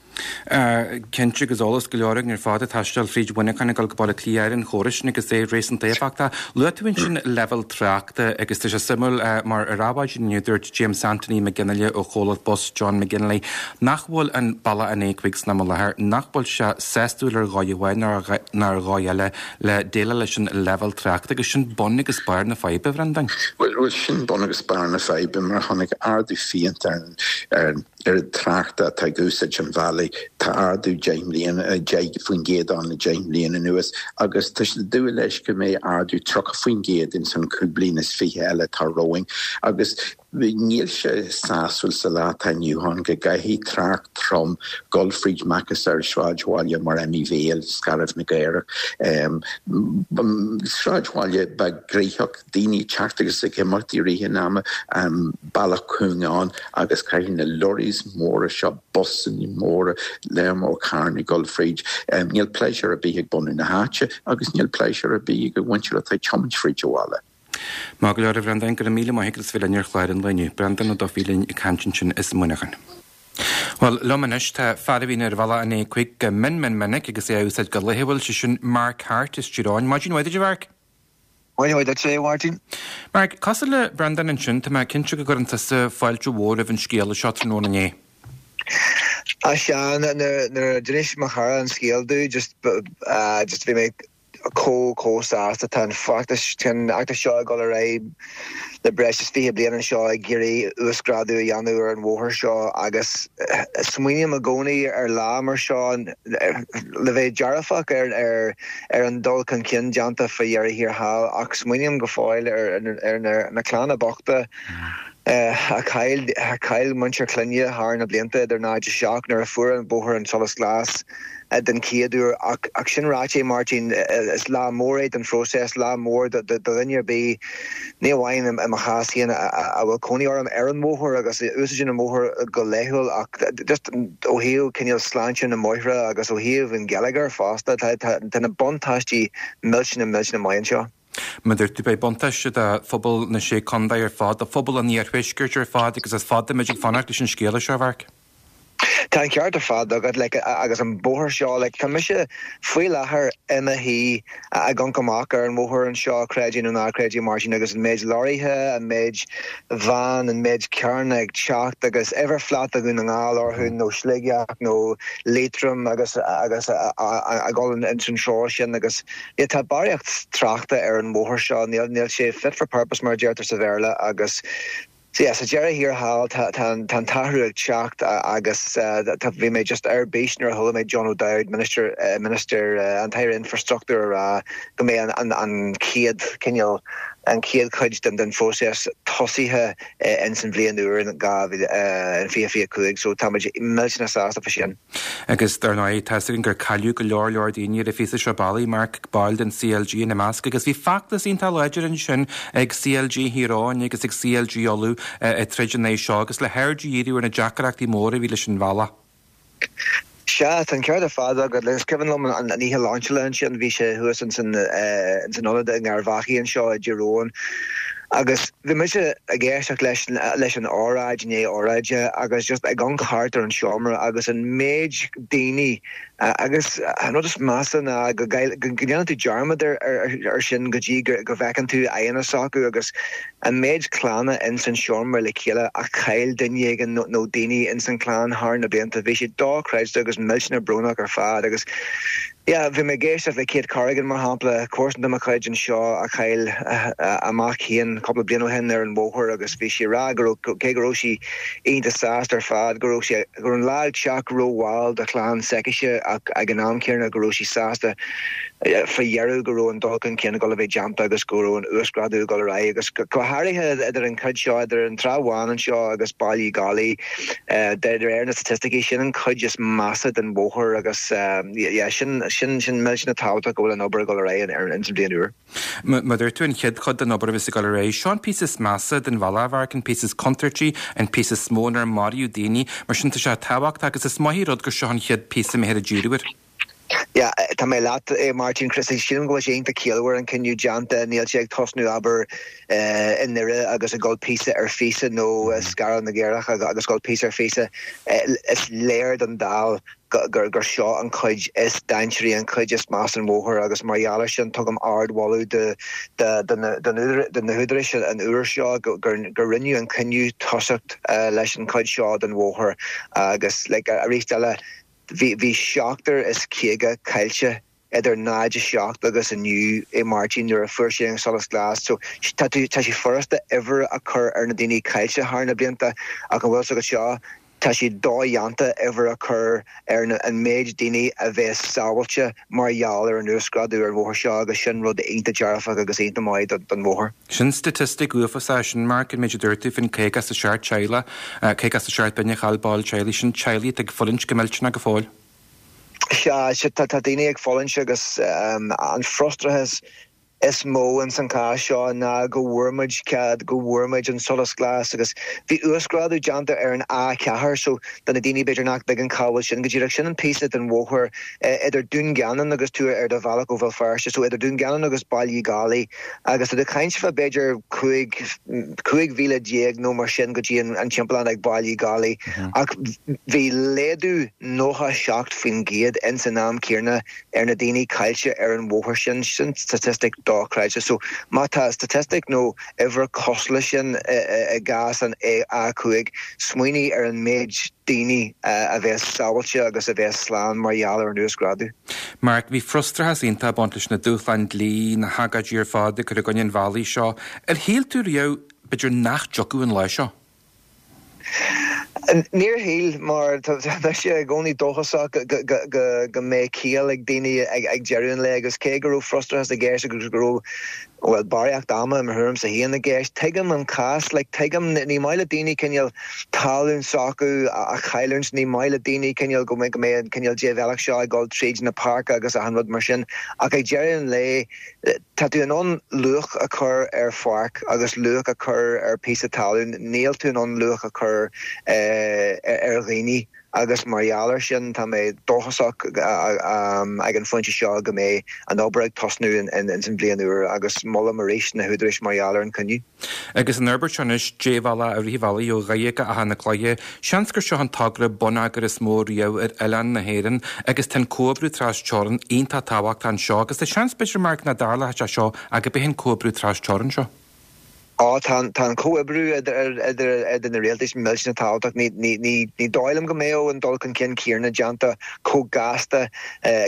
A: Cinnte, agus eolas go leor againn ar fad ag taisteal fríd Mhuineachán ag dul go Baile Átha Cliath ar an chóras sin agus é réasúnta éifeachtach. Luaigh tú ansin leibhéal tráchta agus tá sé suimiúil mar ar Adhmhaidin inniu dúirt James Anthony McGinley ó chomhlacht bus John McGinley nach bhfuil an bealach an A5 san am i láthair, nach bhfuil sé sásúil ar dhóigh amháin ná ar dhóigh eile le déileáil leis an leibhéal tráchta agus sin bun agus barr na faidhbe, a Bhreandáin.
E: Bhuel, sin bun agus barr na faidhbe mar tháinig ardú fiánta ar an oiread tráchta atá ag úsáid an bhealaigh. Tá ardú 10 mbliana, 10% ann le 10 mbliana anuas agus tá siad ag dúil leis go mbeidh ardú 30% ins an cúig bliana is fiche eile atá romhainn agus Níl sé sásúil sa lá atá inniu ann go gcaithfidh trácht trom dul fríd macasamhail sráidbhaile mar Emyvale, Scairbh na gCaorach, sráidbhaile beag gnoitheach, daoine ag teacht agus ag imeacht i rith an ama, bealach cúng ann agus caithfidh na lorries móra seo, busanna móra, lear mór carranna dul fríd. Níl pléisiúr ar bith ag bunadh na háite agus níl pléisiúr ar bith ag an mhuintir atá ag tiomáint fríd an bhaile.
A: Maith go leor a Bhreandáin, go raibh míle maith agat as bheith linn ar chlár an lae inniu. Breandán Ó Dufaigh linn ag caint ansin as Muineachán. Bhuel, liom anois tá fear a bhíonn ar bhealach an A5 go mion mion minic agus é á úsáid go laethúil, sé sin Mark Harte as Tír Eoghain. Maidin mhaith duit, a Mhark.
F: Maidin mhaith duit, a Mháirtín.
A: Mark, cosúil le Breandán ansin, tá mé cinnte go gcuireann tusa fáilte mhór roimh an scéala seo tráthnóna inné.
F: Á sea, nuair a d'inis mo chara an scéal domh, just, just bhí mé chomh chomh sásta. Tá an feachtas, tá an fheachtas seo ag dul ar aghaidh le breis is 20 bliain anseo ag iarraidh uasghrádú a dhéanamh ar an bhóthar seo agus smaoiním i gcónaí ar lá mar seo le bheith dearfach ar ar ar an dul chun cinn déanta faoi dheireadh thiar thall ach smaoiním go fóill ar ar na clanna bochta a chaill a chaill muintir clainne thar na blianta idir 0 7 nuair a fuair an bóthar an solas glas. den chéad uair. Ach sin ráite, Máirtín, is lá mór é don phróiseas, lá mór do dhuine ar bith, ní amháin i mo chás féin a bhfuil cónaí orm ar an mbóthar agus a úsáideann an bóthar go laethúil ach just ó thaobh cineál sláinte na mbóithre agus ó thaobh an gheilleagair fosta, tá na buntáistí millteanach millteanach maith anseo.
A: Mar a dúirt tú, beidh buntáiste do phobal na Sé Contae ar fad, do phobal an Iarthuaiscirt ar fad agus is fada muid ag fanacht leis an scéala seo, a Mharc.
F: Tá an ceart ar fad agat, like, agus an bóthar seo, like, tá mise faoi láthair i mo shuí ag amharc amach ar an bhóthar anseo, creid é nó ná creid é, Máirtín, agus an méid lorraithe, an méid veain, an méid carranna ag teacht agus uimhir phláta Dhún na nGall orthu nó Sligeach nó Liatroim agus agus ag dul ins an treo sin agus yeah, tá barraíocht tráchta ar an bhóthar seo, níl níl sé fit for purpose mar a deirtear sa Bhéarla agus So yeah, sa deireadh thiar thall tá an t-athrú ag teacht agus tá, bhí mé just ar bís nuair a chuala mé John O'Dowd, Minister, Minister, an tAire Infreastruchtúir a rá go mbeidh an, an chéad cineál, an chéad chuid den, den phróiseas tosaithe ins an bhliain úr in 2000, in 2025 so tá muid millteanach sásta fá sin.
A: Agus dar ndóigh, tá 'fhios againn gur cailleadh go leor leor daoine ar an phíosa seo bealaigh, Mark, baill den CLG ina measc, agus bhí feachtas iontach láidir ansin ag CLG Thír Eoghain agus ag CLG Uladh ag troid in aghaidh seo agus le haird a dhíriú ar na deacrachtaí móra a bhí leis an bhealach.
F: Sea, tá an ceart ar fad agat. Is cuimhin liom an oíche lainseála ansin, bhí sé thuas ins an ionad i nGairbheachaí anseo i dTír Eoghain Agus bhí mise ag éisteacht leis leis an óráid i ndiaidh óráide agus just ag amharc thart ar an seomra agus an méid daoine agus an rud is measa ná go go ndéanann tú dearmad ar ar sin go dtí go bhfeiceann tú aghaidheanna s'acu agus an méid clanna ins an seomra le chéile a chaill duine éigin nó nó daoine ins an chlann thar na blianta. Bhí sé dochreidte agus millteanach brónach ar fad agus Yeah, bhí mé ag éisteacht le Kate Corrigan, mar shampla, comharsan de mo chuid anseo a chaill a mac féin cúpla bliain ó shin ar an bhóthar agus bhí sí ag rá go raibh, cé go raibh sí iontach sásta ar fad, go raibh sé, go raibh an lá ag teacht rómhall do chlann s'aicise ach ag an am céanna go raibh sí sásta faoi dheireadh go raibh an dul chun cinn ag dul a bheith déanta agus go raibh an uasghrádú ag dul ar aghaidh agus go háirithe idir an chuid seo, idir an Trá Bháin anseo agus Baile Uí Dhálaigh. De réir na staitisticí, sin an chuid is measa den bhóthar agus yeah, sin, sin, sin millteanach tábhachtach go bhfuil an obair ag dul ar aghaidh ins an bhliain úr.
A: Mar dúirt tú, an chéad chuid den obair a bheas ag dul ar aghaidh, seo an píosa is measa den bhealach, a Mharc, an píosa is contúirtí, an píosa is mó inar maraíodh daoine, mar sin tá sé tábhachtach agus is maith an rud gur seo an chéad píosa a mbeifear ag díriú air.
F: Yeah, tá mé leat, a Mháirtín. Chris, sílim go bhfuil sé iontach ciallmhar an cinneadh déanta. Níl sé ag tosnú, abair, i nDoire agus ag dul píosa ar phíosa nó i Scairbh na gCaorach agus dul píosa ar phíosa. Is léir don dall gur seo an chuid is dainséaraí, an chuid is measa den bhóthar agus mar gheall air sin tugaim ardmholadh do na húdaráis an uair seo gur rinneadh an cinneadh tosacht leis an chuid seo den bhóthar agus like arís eile Bhí 57 caillte idir 0, 7 agus inniu, a Mháirtín, nuair a fuair sé an solas glas. So tá tú, tá sé furasta uimhir a chur ar na daoine caillte thar na blianta ach an bhfuil 's agat seo, tá sé dodhéanta uimhir a chur ar na, an méid daoine a bheas sábháilte mar gheall ar an uasghrádú ar an bhóthar seo agus sin rud iontach dearfach agus iontach maith don bhóthar.
A: Sin staitistic uafásach sin, Mark, an méid a dúirt tú faoin 57 teaghlach, 57 duine a chaill ball teaghlaigh, sin teaghlaigh atá ag fulaingt go millteanach go fóill.
F: Sea, sea, tá daoine ag fulaingt agus an frustrachas is mó ins an chás seo ná go bhfuair muid cead, go bhfuair muid an solas glas agus bhí uasghrádú déanta ar an A4 so do na daoine b'fhéidir nach dtuigeann cá bhfuil sin go díreach, sin an píosa den bhóthar idir Dún Geanainn agus tú ar do bhealach ó Bhéal Feirste, so idir Dún Geanainn agus Baile Uí Dhálaigh. Agus tá tú ag caint fá b'fhéidir 15, 15 mhíle nó mar sin go dtí an timpeallán ag Baile Uí Dhálaigh. Ach bhí laghdú 97% ins an am céanna ar na daoine caillte ar an bhóthar sin. Sin statistic dochreidte. So má tá statistic nó uimhir cosúil leis sin i gcás an A5, smaoinigh ar an méid daoine a bheas sábháilte agus a bheas slán mar gheall ar an uasghrádú.
A: Mark, bhí frustrachas iontach ag baint leis na dúshláin dlí, na hagóidí ar fad ag cur i gcoinne an bhealaigh seo. Ar shíl tú riamh, b'fhéidir, nach dtiocfadh an lá seo?
F: Níor shíl, mar tá mise i gcónaí dóchasach go mbeidh ciall ag daoine ag deireadh an lae agus cé go raibh frustrachas i gceist agus go raibh, bhuel, barraíocht ama i mo thuairimse féin i gceist, tuigim an cás, like, tuigim, ní maith le daoine cineál talún s'acu a chailliúint, ní maith le daoine cineál go mbeidh an cineál débhealach seo ag dul tríd na páirce agus achan rud mar sin ach ag deireadh an lae, Tá tú in ann luach a chur ar pháirc agus luach a chur ar phíosa talún, níl tú in ann luach a chur ar dhaoine agus mar gheall air sin tá mé dóchasach ag an phointe seo go mbeidh an obair ag tosnú ins an bhliain úr agus molaim arís na húdaráis mar gheall ar an
A: cinneadh. Agus an fhorbairt seo anois, débhealach i rith an bhealaigh ó Dhoire go Achadh na Cloiche, seans gur seo an togra bonneagair is mó riamh ar oileán na hÉireann agus tá an comhoibriú tras-teorann iontach tábhachtach anseo agus tá seans b'fhéidir, Mark, nach dtarlódh sé seo ach gurb é an comhoibriú tras-teorann seo.
F: Á, tá an, tá an comhoibriú idir, idir, idir na rialtais millteanach tábhachtach. Ní, ní, ní, ní dóigh liom go mbeadh an dul chun cinn céanna déanta chomh gasta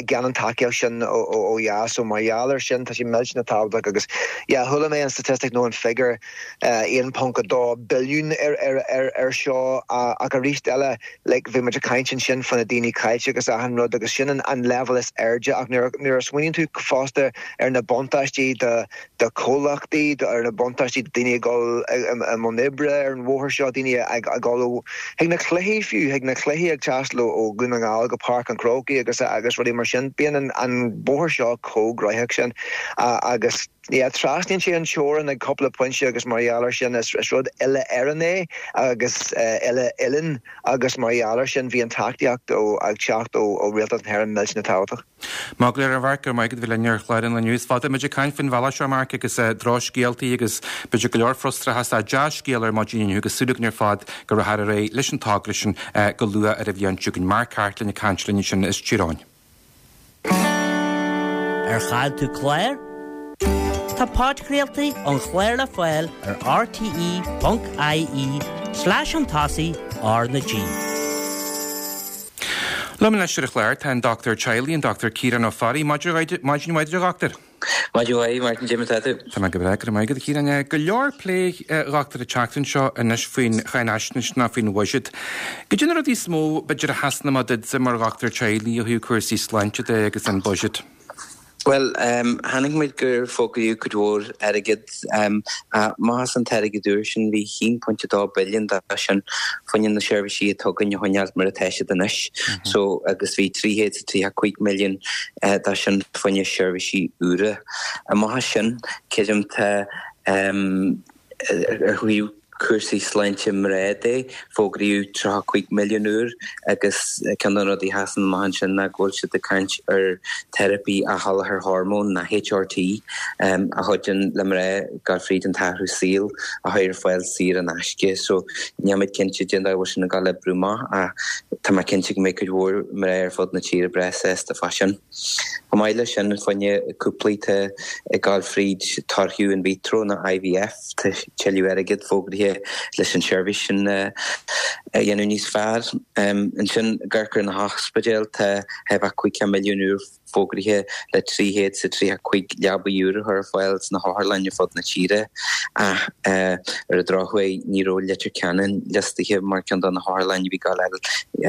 F: gan an tacaíocht sin ó dheas. So mar gheall air sin tá sé millteanach tábhachtach agus yeah chuala mé an statistic nó an figiúr 1.2 billiún ar seo ach arís eile like bhí muid ag caint ansin fá na daoine caillte agus achan rud agus sin an leibhéal is airde ach nuair a smaoiníonn tú fosta ar na buntáistí do do chomhlachtaí, ar na buntáistí do daoine ag dul i mbun oibre ar an bhóthar seo, daoine ag dul ó chuig na cluichí fiú, chuig na cluichí ag taisteal ó Dhún na nGall go Páirc an Chrócaigh agus agus rudaí mar sin. Bíonn an bóthar seo chomh gnóthach sin agus yeah trasnaíonn sé an teorainn ag cúpla pointe agus mar gheall air sin is rud uile-Éireann é agus uile-oileáin agus mar gheall air sin bhí an tacaíocht ag teacht ó Rialtas na hÉireann millteanach tábhachtach.
A: Maith go leor a Mharc, go raibh maith agat a bheith linn ar chlár an lae inniu. Is fada muid ag caint faoin bhealach seo, Marc, agus drochscéaltaí agus b'fhéidir go leor frustrachas ach dea-scéal ar maidin inniu agus súil againn ar fad go rachfar ar aghaidh leis an togra sin go luath ar an bhliain seo chugainn. Mark Harte linn ag caint linn ansin as Tír Eoghain.
G: Ar chaill tú clár? Tá podchraoltaí an chláir le fáil ar rte.ie slash chun tosaigh R na G.
A: Liom anois ar an chlár tá an Dochtúir Teaghlaigh, an Dochtúir Ciarán Ó Fearraigh. Maidin mhaith duit, a Dhochtúir.
H: Maidin mhaith, Martin, cad é mar atá tú?
A: Tá mé go breá, go raibh maith agat, a Chiaráin. Go leor plé, a Dhochtúir, an tseachtain seo anois faoin cháinaisnéis ná faoin bhuiséad. Cad é na rudaí is mó, b'fhéidir, a sheasann amach duitse mar dhochtúir teaghlaigh ó thaobh cúrsaí sláinte de agus an buiséad?
H: Bhuel, chonaic muid gur fógraíodh cuid mhór airgid. Amach as an t-airgead úr sin, bhí 1.2 billiún de sin fá choinne na seirbhísí atá againn a choinneáil mar atá siad anois. So, agus bhí 335 milliún de sin fá choinne seirbhísí úra. Amach as sin, creidim tá ar thaobh. cúrsaí sláinte mná de, fógraíodh 35 milliún úr agus ceann de na rudaí a sheasann amach ansin ná go bhfuil siad ag caint ar teiripí athsholáthair hormón, nó HRT, a chuidíonn le mná gabháil fríd an t-athrú saoil a chur ar fáil saor in aisce. So níl mé cinnte cén dóigh a bhfuil sin ag gabháil a oibriú amach ach tá mé cinnte go mbeidh cuid mhór mná ar fud na tíre breá sásta fá sin. Chomh maith leis sin, fá choinne cúplaí atá ag gabháil fríd toirchiú in vitro nó IVF, tá tuilleadh airgid fógraithe leis an seirbhís sin a dhéanamh níos fearr. Ansin, ag amharc ar na hospidéil, tá 50 milliún úr fógraithe le 335 leabaidh úr a chur ar fáil sna hotharlanna ar fud na tíre ach ar an drochuair ní raibh Leitir Ceanainn liostaithe mar ceann de na hotharlanna a bhí ag gabháil a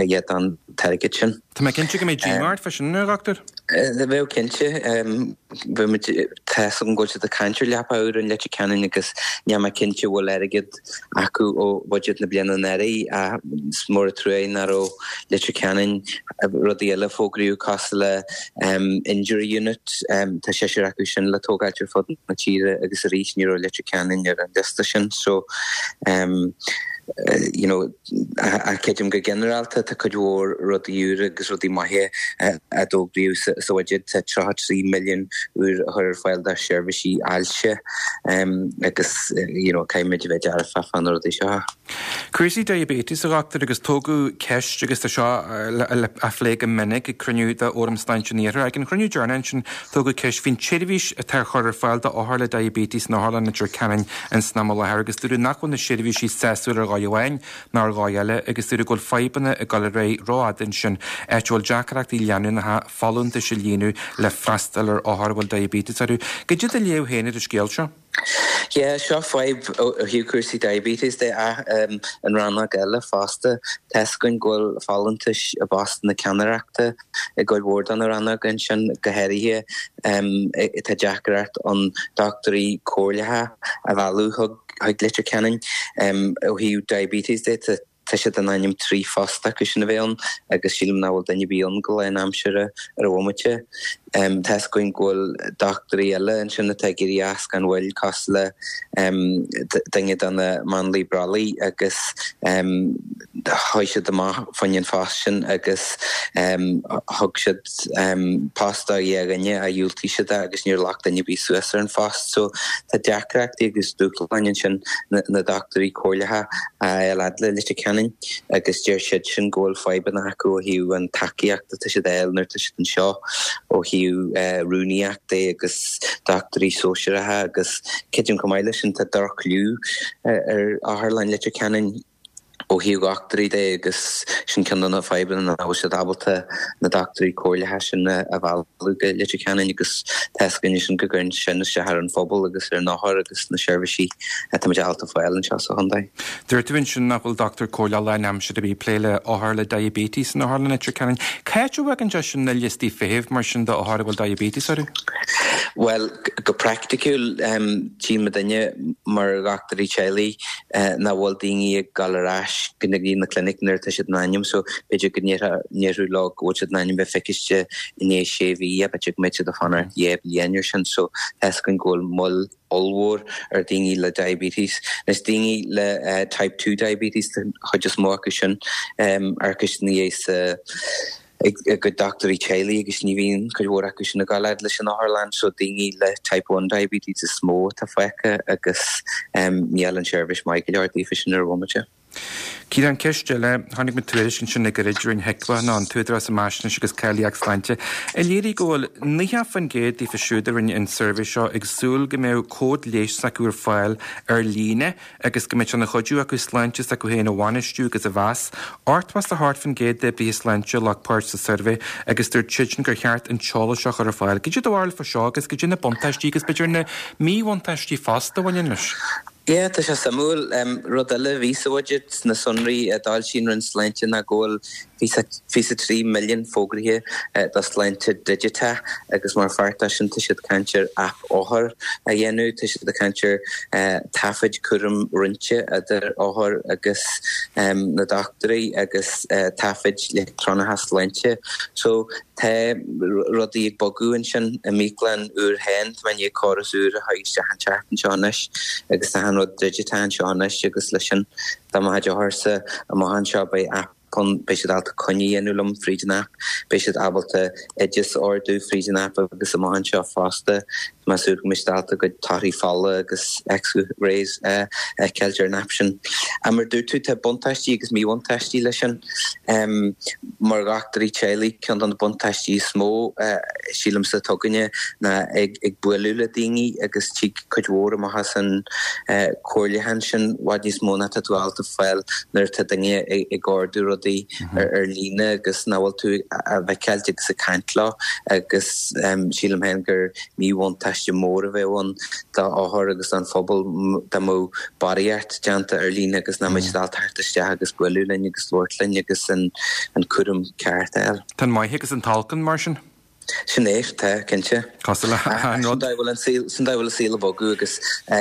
H: fháil den t-airgead sin.
A: Tá mé cinnte go mbeidh díomá ort fá sin, a Dhochtúir.
H: Bheadh cinnte. Bheadh muid, tá 'fhios agam go bhfuil siad ag caint ar leapa úr in Leitir Ceanainn agus níl mé cinnte an bhfuil airgead acu ó bhuiséad na bliana anuraidh ach is mór an trua é nach raibh Leitir Ceanainn, rudaí eile a fógraíodh cosúil le injury unit, tá seisear acu sin le tógáilt ar fud na tíre agus arís ní raibh Leitir Ceanainn ar an liosta sin so you know Ach creidim go ginearálta tá cuid mhór rudaí úra agus rudaí maithe a d'fhógraíodh sa bhuiséad. Tá 33 milliún úr a chur ar fáil do sheirbhísí ailse agus you know caithfimid a bheith dearfach fá na rudaí seo.
A: Cúrsaí diabetes, a Dhochtúir, agus tógadh ceist agus tá seo á phlé go minic ag cruinniú de Fhóram Sláinte an Iarthair. Ag an chruinniú deireanach ansin tógadh ceist faoin tseirbhís atá á chur ar fáil d'othair le diabetes in Otharlann Leitir Ceanainn san am i láthair agus dúradh nach bhfuil na seirbhísí sásúil ar dhóigh amháin ná ar dhóigh eile agus dúradh go bhfuil fadhbanna ag dul ar aghaidh rófhada ansin, áit a bhfuil deacrachtaí leanúnacha folúntais a líonadh le freastal ar othair a bhfuil diabetes orthu. Goidé do léamh féin ar an scéal seo?
H: Yeah, seo fadhb ó thaobh cúrsaí diabetes de ach an rannóg eile fosta. Tá 'fhios againn go bhfuil folúntais i bpostanna ceannaireachta i gcuid mhór de na rannóga ansin, go háirithe tá deacracht ann dochtúirí comhairleacha a mhealladh chuig Leitir Ceanainn. Ó thaobh diabetes de, tá siad in ainm 3 phost acu sin a bheith ann agus sílim nach bhfuil duine ar bith ann go lánaimseartha ar an bhomaite. Tá 'fhios againn go bhfuil dochtúirí eile ansin atá ag éirí as gan mhoill cosúil le duine de na máinliaigh brollaigh agus chuaigh siad amach fá choinne an phost sin agus thug siad post do dhá dhuine ach dhiúltaigh siad é agus níor ghlac duine ar bith suas ar an phost. So tá deacrachtaí agus dúshláin ansin na dochtúirí comhairleacha a fháil fhad le Leitir Ceanainn agus deir siad sin go bhfuil fadhbanna acu ó thaobh an tacaíocht atá siad a fháil nuair atá siad anseo ó thaobh rúnaíocht de agus dochtúirí sóisearacha agus creidim chomh maith leis sin tá droch-chliú ar Otharlann Leitir Ceanainn ó thaobh dhochtúirí de agus sin ceann de na fadhbanna nach bhfuil siad ábalta na dochtúirí comhairleacha sin a mhealladh go Leitir Ceanainn agus tá 'fhios againn sin go gcuireann sin isteach ar an phobal agus ar an othar agus na seirbhísí atáimid ábalta fáil anseo sa chontae.
A: Dúirt tú ansin nach bhfuil dochtúir comhairleach lánaimseartha ar bith ag plé le othair le diabetes in Otharlann Leitir Ceanainn. Cá háit a bhfaigheann sé sin na liostaí feithimh mar sin d'othair a bhfuil diabetes orthu?
H: Bhuel, go praiticiúil, tchíonn muidinne mar dhochtúirí teaghlaigh nach bhfuil daoine ag dul ar ais go dtí na clinic nuair atá siad in ainm so b'fhéidir go ndéarfá leo go bhfuil siad in ainm bheith feiciste i ndiaidh sé mhí b'fhéidir go mbeidh siad ag fanacht dhá bhliain ar sin so tá 'fhios againn go bhfuil moill ollmhór ar daoine le diabetes. Anois daoine le type 2 diabetes an chuid is mó acu sin amharcann ina dhiaidh sa ag a gcuid dochtúirí teaghlaigh agus ní bhíonn cuid mhór acu sin ag gabháil fhad leis an otharlann so daoine le type 1 diabetes is mó atá fágtha agus níl an seirbhís maith go leor daofa sin ar an bhomaite.
A: Ciarán, ceist eile, chonaic mé tuairisc ansin le gairid rinne HIQA nó an tÚdarás um Fhaisnéis agus Cáilíocht Sláinte, a léirigh go bhfuil 90% daofa siúd a rinne an suirbhé seo ag súil go mbeadh cód leighis s'acu ar fáil ar líne agus go mbeadh sé ina chuidiú acu sláinte s'acu féin a bhainistiú agus a mheas. 88% d'oibrithe sláinte a ghlac páirt sa suirbhé agus dúirt siadsan gur cheart an t-eolas seo a chur ar fáil. Cad é do bharúil fá seo agus cad é na buntáistí agus b'fhéidir na míbhuntáistí fosta a bhaineann leis?
H: Yeah, tá sé suimiúil. Rud eile a bhí sa bhuiséad, sna sonraí a d'fhoilsigh an Roinn Sláinte ná go bhfuil. 23 milliún fógraithe do sláinte digiteach agus mar pháirt de sin tá siad ag caint ar aip othar a dhéanamh, tá siad ag caint ar taifid cúraim roinnte idir othair agus na dochtúirí agus taifid leictreonacha sláinte. So tá rudaí ag bogadh ansin i m'íoclann úr féin, tá mé i ndiaidh córas úr a chur isteach an tseachtain seo anois agus tá an rud digiteach anseo anois agus leis sin dá mbeadh d'otharsa amach anseo beidh aip ann, beidh siad ábalta coinne a dhéanamh liom fríd an aip, beidh siad ábalta oideas a ordú fríd an aip agus amach anseo fosta tá mé ag súil go mbeidh siad ábalta a gcuid torthaí fola agus X-rays a fheiceáilt ar an aip sin. Ach mar a dúirt tú tá buntáistí agus míbhuntáistí leis sin. Mar dhochtúirí teaghlaigh ceann de na buntáistí is mó sílimse atá againne ná ag bualadh le daoine agus tig cuid mhór amach as an comhairliúchán sin i bhfad níos mó ná tá tú ábalta fáil nuair atá duine ag ordú rudaí ar líne agus nach bhfuil tú á bhfeiceáilt agus ag caint leo agus sílim féin gur míbhuntáiste mór a bheadh ann d'othair agus don phobal dá mbeadh barraíocht déanta ar líne agus nach mbeadh siad ábalta theacht isteach agus bualadh linn agus labhairt linn agus an cúram ceart a fháil.
A: Tá an maith agus an t-olc ann mar sin.
H: Sin é, tá, cinnte.
A: Cosúil le haon rud.
H: Sin dóigh a bhfuil an saol, sin dóigh a bhfuil an saol ag bogadh agus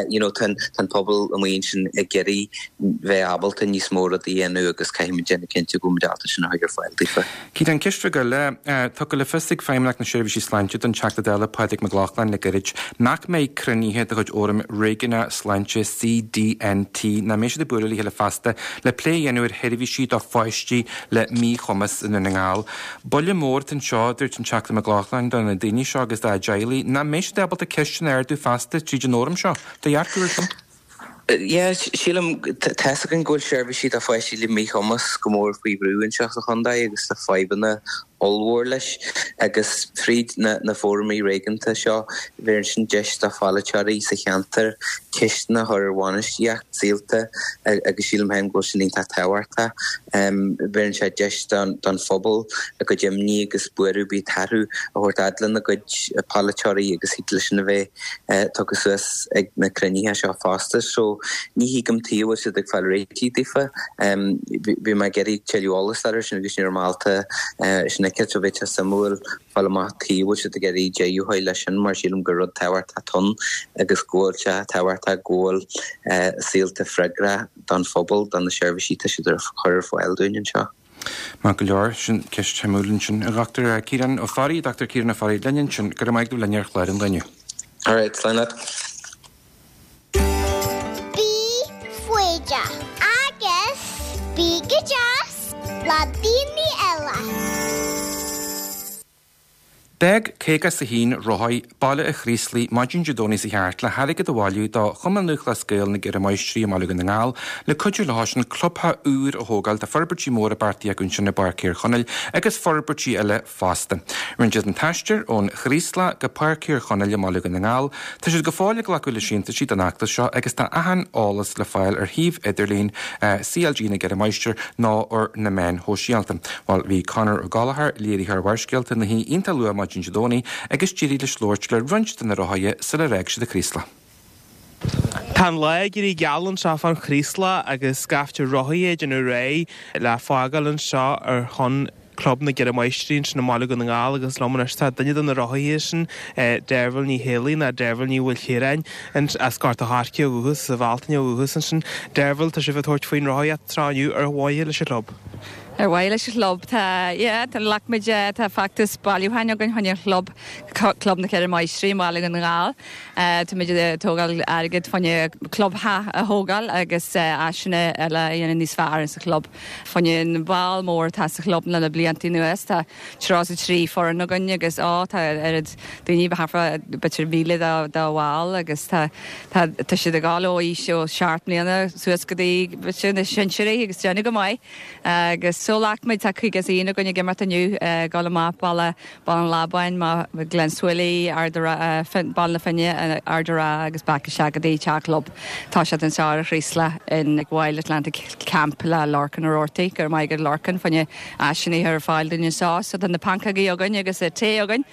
H: you know tá an, tá an pobal amuigh ansin ag iarraidh bheith ábalta níos mó rudaí a dhéanamh agus caithfidh muid déanamh cinnte go bhfuil muid ábalta sin a chur ar fáil daofa.
A: Ciarán, ceist bheag eile, tugtha le fios ag Feidhmeannacht na Seirbhísí Sláinte don Teachta Dála Pádraig Mac Lochlainn le gairid nach mbeidh cruinnithe de chuid Fhóram Réigiúnach Sláinte CDNT nach mbeidh siad ag bualadh le chéile feasta le plé a dhéanamh ar sheirbhísí do pháistí le míchumas i nDún na nGall. Buille mór atá anseo, a dúirt an Teachta Mac Lochlainn, do na daoine seo agus dá dteaghlaigh nach mbeidh siad ábalta ceisteanna a ardú feasta tríd an fhóram seo. Do dhearcadh ar sin?
H: Yeah, sílim, tá's againn go bhfuil seirbhísí do pháistí le míchumas go mór faoi bhrú anseo sa chontae agus tá fadhbanna ollmhór leis agus fríd na na fóraimí réigiúnta seo bheireann sin deis do pholaiteoirí sa cheantar ceisteanna a chur ar bhainistíocht Saolta agus sílim féin go bhfuil sin iontach tábhachtach. Bheireann sé deis don phobal a gcuid imní agus buaireamh ar bith atá orthu a thabhairt fhad lena gcuid polaiteoirí agus thig leis sin a bheith tugtha suas ag na cruinnithe seo fosta. So ní thuigim tuige a bhfuil siad ag fáil réitigh daofa. Bhí mé ag iarraidh tuilleadh eolais air sin agus ní raibh mé ábalta sin a fheiceáil so bheadh sé suimiúil fáil amach tuige a bhfuil siad ag iarraidh deireadh a chur leis sin mar sílim gur rud tábhachtach atá ann agus go bhfuil sé tábhachtach go bhfuil Saolta freagrach don phobal, do na seirbhísí atá siad a chur ar fáil dúinn anseo.
A: Maith go leor, sin ceist shuimiúil ansin, a Dhochtúir Ciarán Ó Fearraigh, Dr Ciarán Ó Fearraigh linn ansin. Go raibh maith agat a bheith linn ar chlár an lae inniu.
H: Alright, slán leat.
C: Bí foighdeach agus bí go deas le daoine eile.
A: D'fhág 51 rothaí Baile an Chraoslaigh maidin Dé Domhnaigh seo thart le hairgead a bhailiú do Chumann Lúthchleas Gael na gCeithre Máistrí i mBaile Dhún na nGall le cuidiú leo sin clubtheach úr a thógáil. Tá forbairtí móra beartaithe acu ansin i bPáirc Thír Chonaill agus forbairtí eile fosta. Rinne siad an t-aistear ón Chraoslach go Páirc Thír Chonaill i mBaile Dhún na nGall. Tá siad go fóill ag glacadh le síntiúisí don fheachtas seo agus tá achan eolas le fáil ar shuíomh idirlín CLG na gCeithre Máistir nó ar na meáin shóisialta. Bhuel, bhí Conor Ó Gallchóir, léiritheoir Bharrscéalta, ina shuí iontach luath maidin Dé Domhnaigh agus d'éirigh leis labhairt le roinnt de na rothaithe sular fhág siad an Chraoslach.
I: Tá an lá ag éirí geal anseo fán Chraoslach agus scaifte rothaithe ag déanamh réidh le fágáil anseo ar shon Club na gCeithre Máistrí ansin i mBaile Dhún na nGall agus liom anois tá duine de na rothaithe sin, Deirbhile Ní Héalaí nó Deirbhile Ní Mhaoilchiaráin as Gort a' Choirce ó dhúchas, as Bhealtaine ó dhúchas ansin. Deirbhile, tá sibh ag tabhairt faoin rothaíocht anseo inniu ar mhaithe leis an chlub.
J: Ar mhaithe leis an chlub, tá, yeah, tá, ghlac muid, tá feachtas bailiúcháin againn chun an chlub, Club na Ceithre Máistrí i mBaile Dhún na nGall. Tá muid ag tógáil airgead fá choinne clubtheach a thógáil agus áiseanna eile a dhéanamh níos fearr sa chlub. Fá choinne an ball mór atá sa chlub le na blianta anuas, tá 33 foireann againn agus, á, tá oiread daoine, thart fá b'fhéidir 1,000 de bhaill agus tá, tá, tá siad ag dul ó aois ó 7 mbliana suas go dtí b'fhéidir na sinsearaí agus déanamh go maith. Agus so ghlac muid, tá 51 againn ag imeacht inniu, ag dul amach Baile, Baile an Lábáin, Gleann tSúilí, Ard a' Rátha, Baile na Finne, Ard a' Rátha agus back isteach go dtí teach an chlub. Tá siad anseo ar an Chraoslach in Wild Atlantic Camp le Lorcan Ó Roarty. Go raibh maith agat Lorcan fá choinne áiseanna a chur ar fáil dúinn anseo. So tá na pancógaí againn agus tae againn.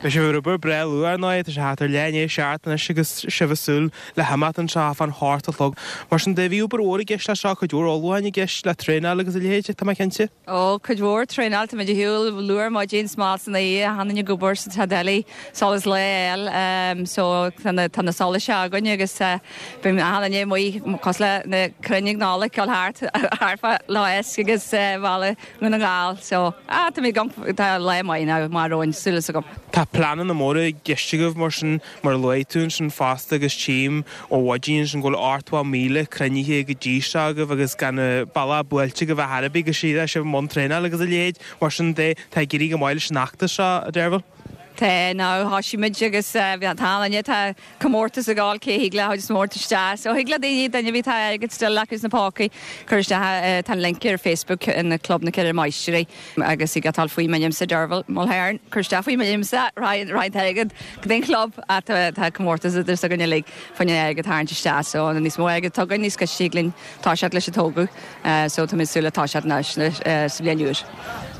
I: Beidh sibh ar obair breá luath ar ndóigh, tá sé thart ar leath i ndiaidh a seacht anois agus sibh ag súil le himeacht anseo fán hocht a chlog. Mar sin de, bhí obair mhór i gceist leis seo, cuid mhór ullmhúcháin i gceist le traenáil agus a leithéid, tá mé cinnte. cinnte.
J: Ó, cuid mhór traenáil, táimid ar shiúl luath ar maidin, 's mall san oíche, achan duine ag obair sa tá doiligh solas lae a fháil so tá na tá na solais againn agus bíonn achan duine amuigh cosúil le na crainn ag Nollaig dul thart thart fá Loch Eisc agus Bhaile Dhún na nGall so ah tá mé ag tá lá maith now maith romhainn súil is agam.
I: Tá pleananna móra i gceist agaibh mar sin Mar a luaigh tú ansin fosta agus tchím ó mhaidin ansin go bhfuil 80,000 cruinnithe go dtí seo agaibh agus gan an bealach buailte agaibh ar chor ar bith go síreach sibh i mbun traenála agus a leithéid. Mar sin de, tá ag éirí go maith leis an fheachtas seo, a Deirbhile.
J: Tá, now thoisigh muid agus tá an tá comórtas ag gabháil cé thig le a chuid is mó isteach. So thig le daoine, duine ar bith atá airgead still acu sna pócaí, cur isteach, tá an link ar Facebook in Club na Ceithre Máistrí. Agus thig leat dul faoi m'ainmse Derval Mulhern, cur isteach faoi m'ainmse, raghaidh an t-airgead go dtí an chlub ach tá comórtas idir s'againn uilig fá choinne airgead a tharraingt isteach so níos mó airgead atá againn níos gaiste thig linn toiseacht leis an tógadh so tá mé ag súil le toiseacht anois sa bhliain úr.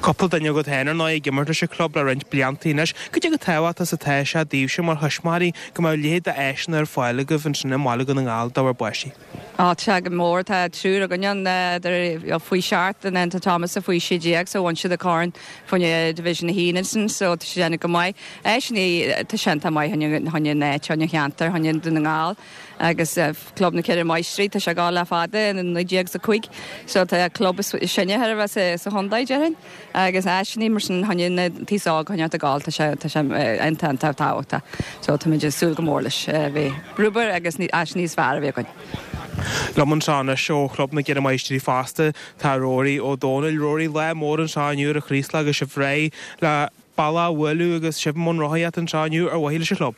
I: Cúpla duine agat féin ar ndóigh ag imirt leis an chlub le roinnt blianta anois. Cad é chomh tábhachtach is atá sé daoibhse mar thuismitheoirí go mbeadh a leithéid d'áiseanna ar fáil agaibh ansin i mBaile Dhún na nGall do bhur bpáistí?
J: Á, tá sé go mór. Tá triúr againn ann, idir faoi sheacht and then tá Thomas faoi 16 so bhain siad an corn fá choinne Division 1 ansin so tá siad déanamh go maith. Áiseanna, tá sé iontach maith fá choinne an áit, fá choinne an cheantair, fá choinne Dún na nGall agus Club na Ceithre Máistrí, tá sé ag gabháil le fada, in 1905 so tá an club is sine chóir a bheith sa chontae déarfainn. Agus áiseanna mar sin fá choinne na t-aos óg a choinneáilt ag gabháil, tá sé, tá sé iontach, iontach tábhachtach. So táimid ag súil go mór leis. Bheith brúbar agus áis níos fearr a bheith againn.
I: Liom anseo anois ó Chlub na gCeithre Máistrí fosta tá Rory Ó Dónaill. Rory, lá mór anseo inniu ar an Chraoslach agus sibh réidh le bealach a bhualadh agus sibh i mbun rothaíochta anseo inniu ar mhaithe leis an chlub.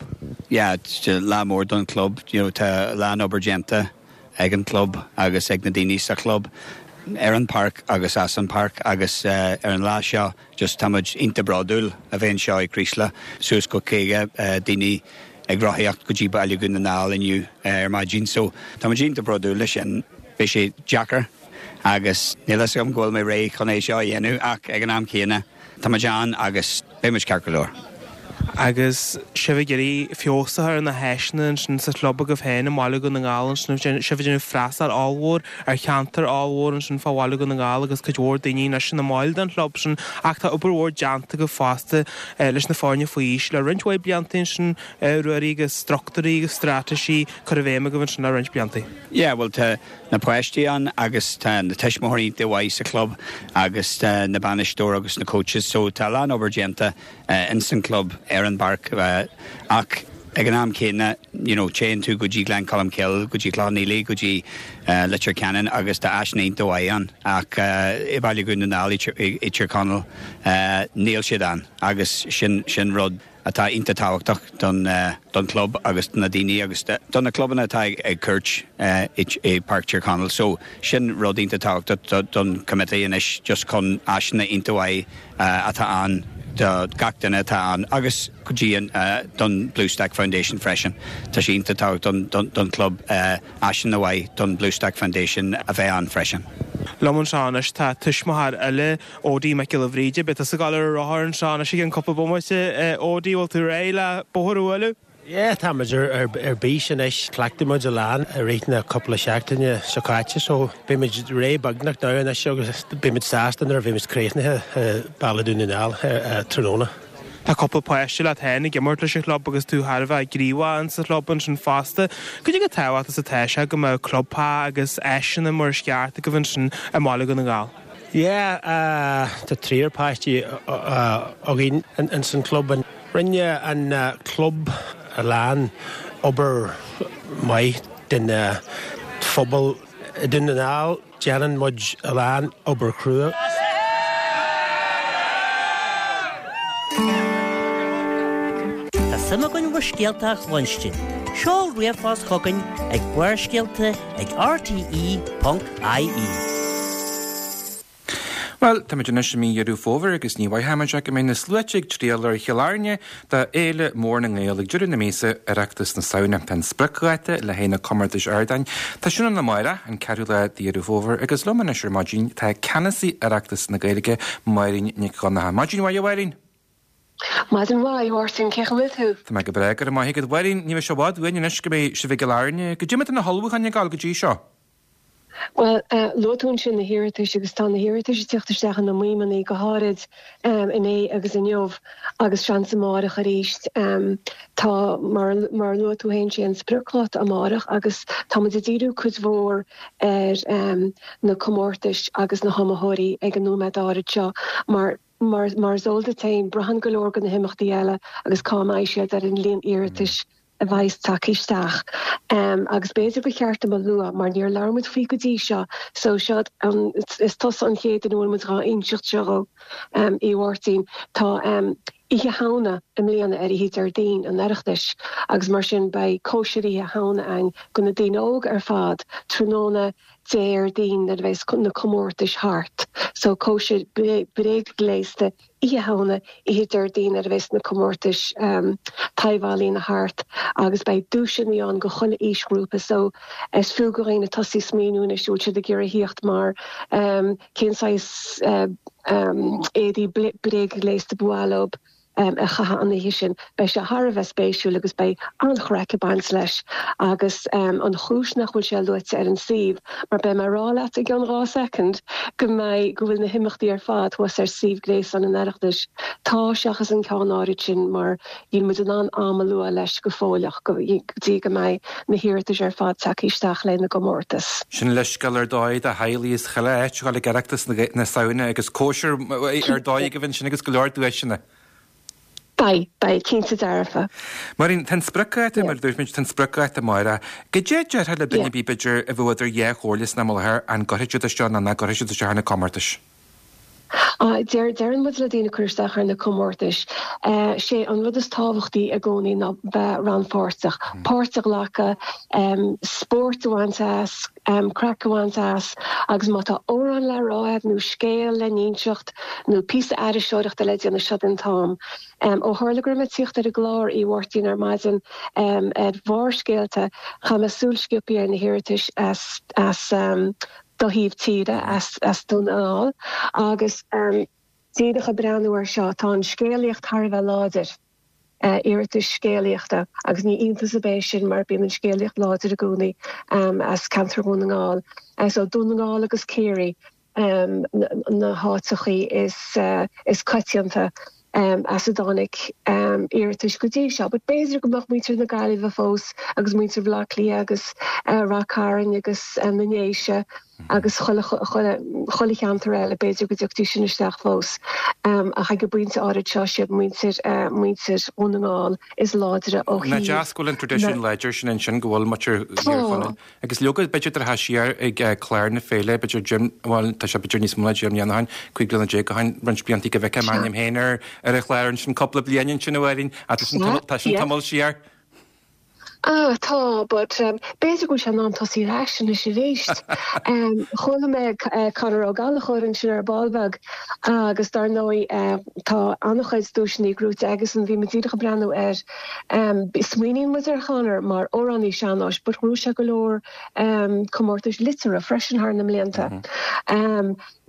K: Yeah, lá mór don chlub. You know, tá a lán obair déanta ag an chlub agus ag na daoine sa chlub ar an páirc agus as an páirc agus ar an lá seo just tá muid iontach bródúil a bheith anseo i Creeslough. Suas go 50 daoine ag rothaíocht go dtí Baile Dhún na nGall inniu ar maidin so tá muid iontach bródúil le sin. Beidh sé deacair agus níl fhios agam go bhfuil mé réidh chun é seo a dhéanamh ach ag an am céanna tá muid ann agus beidh muid ceart go leor.
I: Agus sibh ag iarraidh feabhas a chur ar na háiseanna ansin sa chlub agaibh féin i mBaile Dhún na nGall ansin, sibh ag déanamh freastal ollmhór ar cheantar ollmhór ansin fá Bhaile Dhún na nGall agus cuid mhór daoine anois ina mbaill den chlub sin ach tá obair mhór déanta agaibh fosta leis na foirne faoi aois le roinnt mhaith blianta ansin, Ruairí, agus struchtúirí agus straitéisí curtha i bhfeidhm agaibh ansin le roinnt blianta.
K: Yeah, bhuel tá na páistí ann agus tá na tuismitheoirí iontach mhaith sa chlub agus tá na bainisteoir agus na coaches so tá a lán obair déanta ins an club ar an bpáirc ach ag an am céanna you know téann tú go dtí Gleann Cholm Cille, go dtí Cloich Cheann Fhaola, go dtí Leitir Ceanainn agus tá áiseanna iontach mhaith ann ach i Baile Dhún na nGall i Tír Chonaill níl siad ann agus sin sin rud atá iontach tábhachtach don don chlub agus do na daoine agus do na clubanna atá ag cuairt i Páirc Tír Chonaill. So sin rud iontach tábhachtach don committee anois just chun áiseanna iontach mhaith atá ann do gach duine atá ann agus go dtí an don Bluestack Foundation freisin. Tá sé iontach tábhachtach don don chlub áiseanna mhaith don Bluestack Foundation a bheith ann freisin.
I: Liom anseo anois tá tuismitheoir eile Odí Mac Giolla Bhríde, beidh tusa ag gabháil ar an rothar anseo anois i gceann cúpla bomaite. Odí, bhfuil tú réidh le bóthar a bhualadh?
L: Yeah, tá muid ar bís anois. Chleachtaigh muid a lán i rith na cúpla seachtaine seo caite so beidh muid réidh beagnach now anois agus beidh muid sásta nuair a bheidh muid críochnaithe i Baile Dhún na nGall tráthnóna.
I: Tá cúpla páiste leat féin ag imirt leis an chlub agus tú thar a bheith gníomhach in sa chlub ansin fosta. Cad é chomh tábhachtach is atá sé go mbeadh clubtheach agus áiseanna mar is ceart agaibh ansin i mBaile Dhún na nGall?
L: Yeah, tá triúr páistí againn ins an club. Rinne an club a lán obair maith don phobal i Dún na nGall. Déanann muid a lán obair chrua.
G: Tá suim againn bhur scéalta a chluinstin. Seol ríomhphost chugainn ag Barrscéalta ag rte.ie.
A: Bhuel, táimid anois i mí Dheireadh Fómhair agus ní mhaithfimid ach go mbeidh na sluaite ag triall ar Chill Airne do Fhéile Mór na nGael ag deireadh na míosa, Oireachtas na Samhna. Tá an spriocdháta le haghaidh na comórtais ardáin. Tá sin ann amárach, an ceathrú lá de Dheireadh Fómhair, agus liom anois ar maidin tá Ceannasaí Oireachtas na Gaeilge, Máirín Nic Dhonncha. Maidin mhaith a Mháirín!
M: Maidin mhaith, a Mháirtín, cén chaoi a bhfuil tú?
A: Tá mé go breá, go raibh maith agat. Mháirín, ní bheidh sé i bhfad uainn anois go mbeidh sibh i gCill Airne. Goidé mar tá na hullmhúcháin ag gabháil go dtí seo?
M: Bhuel, luaigh tú ansin na hiarratais agus tá na hiarratais ag teacht isteach ina maidhmeanna, go háirid inné agus inniu agus seans amárach arís. Tá, mar mar a luaigh tú féin, sé an spriocdháta amárach agus tá muid ag díriú cuid mhór ar na comórtais agus na hiomaitheoirí ag an nóiméad áirid seo mar mar is eol duit féin, braitheann go leor de na himeachtaí eile agus cá mbeidh siad ar an líon iarratais a bheas tagtha isteach. Agus b'fhéidir gur cheart dom a lua, mar níor labhair muid faoi go dtí seo, so seo an, is tusa an chéad duine a bhfuil muid dhá inseacht seo dhó, a Mháirtín. Tá Oíche Shamhna i mbliana ar oíche Déardaoin an Oireachtais agus mar sin beidh cóisir Oíche Shamhna ann do na daoine óga ar fad tráthnóna Déardaoin nuair a bheas na comórtais thart. So cóisir bréagghléasta Oíche Shamhna, oíche Déardaoin nuair a bheas na comórtais taibh-ealaíona thart agus beidh duaiseanna ann go chuile aoisghrúpa so is fiú go dhaoine tosaí smaoineamh anois an bhfuil siad ag iarraidh thíocht mar cén saghas éadaí bréagghléasta ba mhaith leo a chaitheamh an oíche sin. Beidh sé thar a bheith spéisiúil agus beidh an-chraic ag baint leis agus an chúis nach bhfuil sé luaite ar an suíomh mar beidh mé ag rá leat i gcionn 2 soicind go mbeidh, go bhfuil na himeachtaí ar fad thuas ar suíomh gréasáin an Oireachtais. Tá, seachas an ceann áirid sin mar níl muid in ann am a lua leis go fóill ach go dtí go mbeidh na hiarratais ar fad tagtha isteach le na gcomórtas.
A: Sin leithscéal ar dóigh do theaghlaigh is chuile áit a ghabháil ag Oireachtas na Samhna agus cóisir ar dóigh agaibh ansin agus go leor duaiseanna.
M: Beidh, beidh, cinnte dearfa.
A: Máirín, tá an spriocdháta, mar a dúirt muid, tá an spriocdháta amárach. Goidé a déarfá le duine ar bith, b'fhéidir, a bheadh idir dhá chomhairle san am i láthair, an gcuirfidh siad isteach nó nach gcuirfidh siad isteach ar na comórtais?
M: Deir, deireann muid le daoine cur isteach ar na comórtais. Sé an rud is tábhachtaí i gcónaí ná bheith rannpháirteach, páirt a ghlacadh, spórt a bhaint as, craic a bhaint as agus má tá amhrán le rá agat nó scéal le n-inseacht nó píosa aithriseoireachta le déanamh, seo an t-am. Ó tharla go raibh mé ag tíocht ar an gclár, a Mháirtín, ar maidin ar Bharrscéalta, chaith mé súil sciobtha ar na hiarratais as as do thaobh tíre, as as Dún na nGall agus díreach ag breathnú air seo, tá an scéalaíocht thar a bheith láidir. iarratais scéalaíochta agus ní iontas ar bith é sin mar bíonn an scéalaíocht láidir i gcónaí as ceantar Dhún na nGall. So Dún na nGall agus Ciarraí na háiteachaí is coitianta as a dtáinig iarratais go dtí seo. But b'fhéidir go mbeadh muintir na Gaillimhe fós agus muintir Bhaile Átha Cliath agus Rath Cairn agus na nDéise agus chuile chuile cheantar eile, b'fhéidir go dtiocfaidís sin isteach fós. Ach ag an bpointe áirid seo, siad muintir muintir Dhún na nGall is láidre ó
A: Nach thaobh deas go bhfuil an traidisiún láidir sin ansin, go bhfuil muintir Thír Chonaill. Agus leoga, b'fhéidir tar siar ag clár na féile, b'fhéidir Jim, bhuel, tá sé b'fhéidir níos mó ná 10 mbliana ó shin, 15 bliana ó shin, roinnt blianta go bhfeicfeá m'ainm féin ar ar an chlár ansin cúpla bliain ansin a Mháirín, ach tá sin tá sin tamall siar.
M: Ah, tá, but b'fhéidir go bhfuil sé in am tosaí ar ais anois arís. Chuala mé Conor Ó Gallchóir ansin ar ball beag agus dar ndóigh tá an-chuid duaiseanna gnóite aigesan, bhí mé díreach ag breathnú air. Smaoiníonn muid ar Chonor mar amhránaí sean-nóis but ghnóthaigh sé go leor comórtais liteartha freisin thar na mblianta.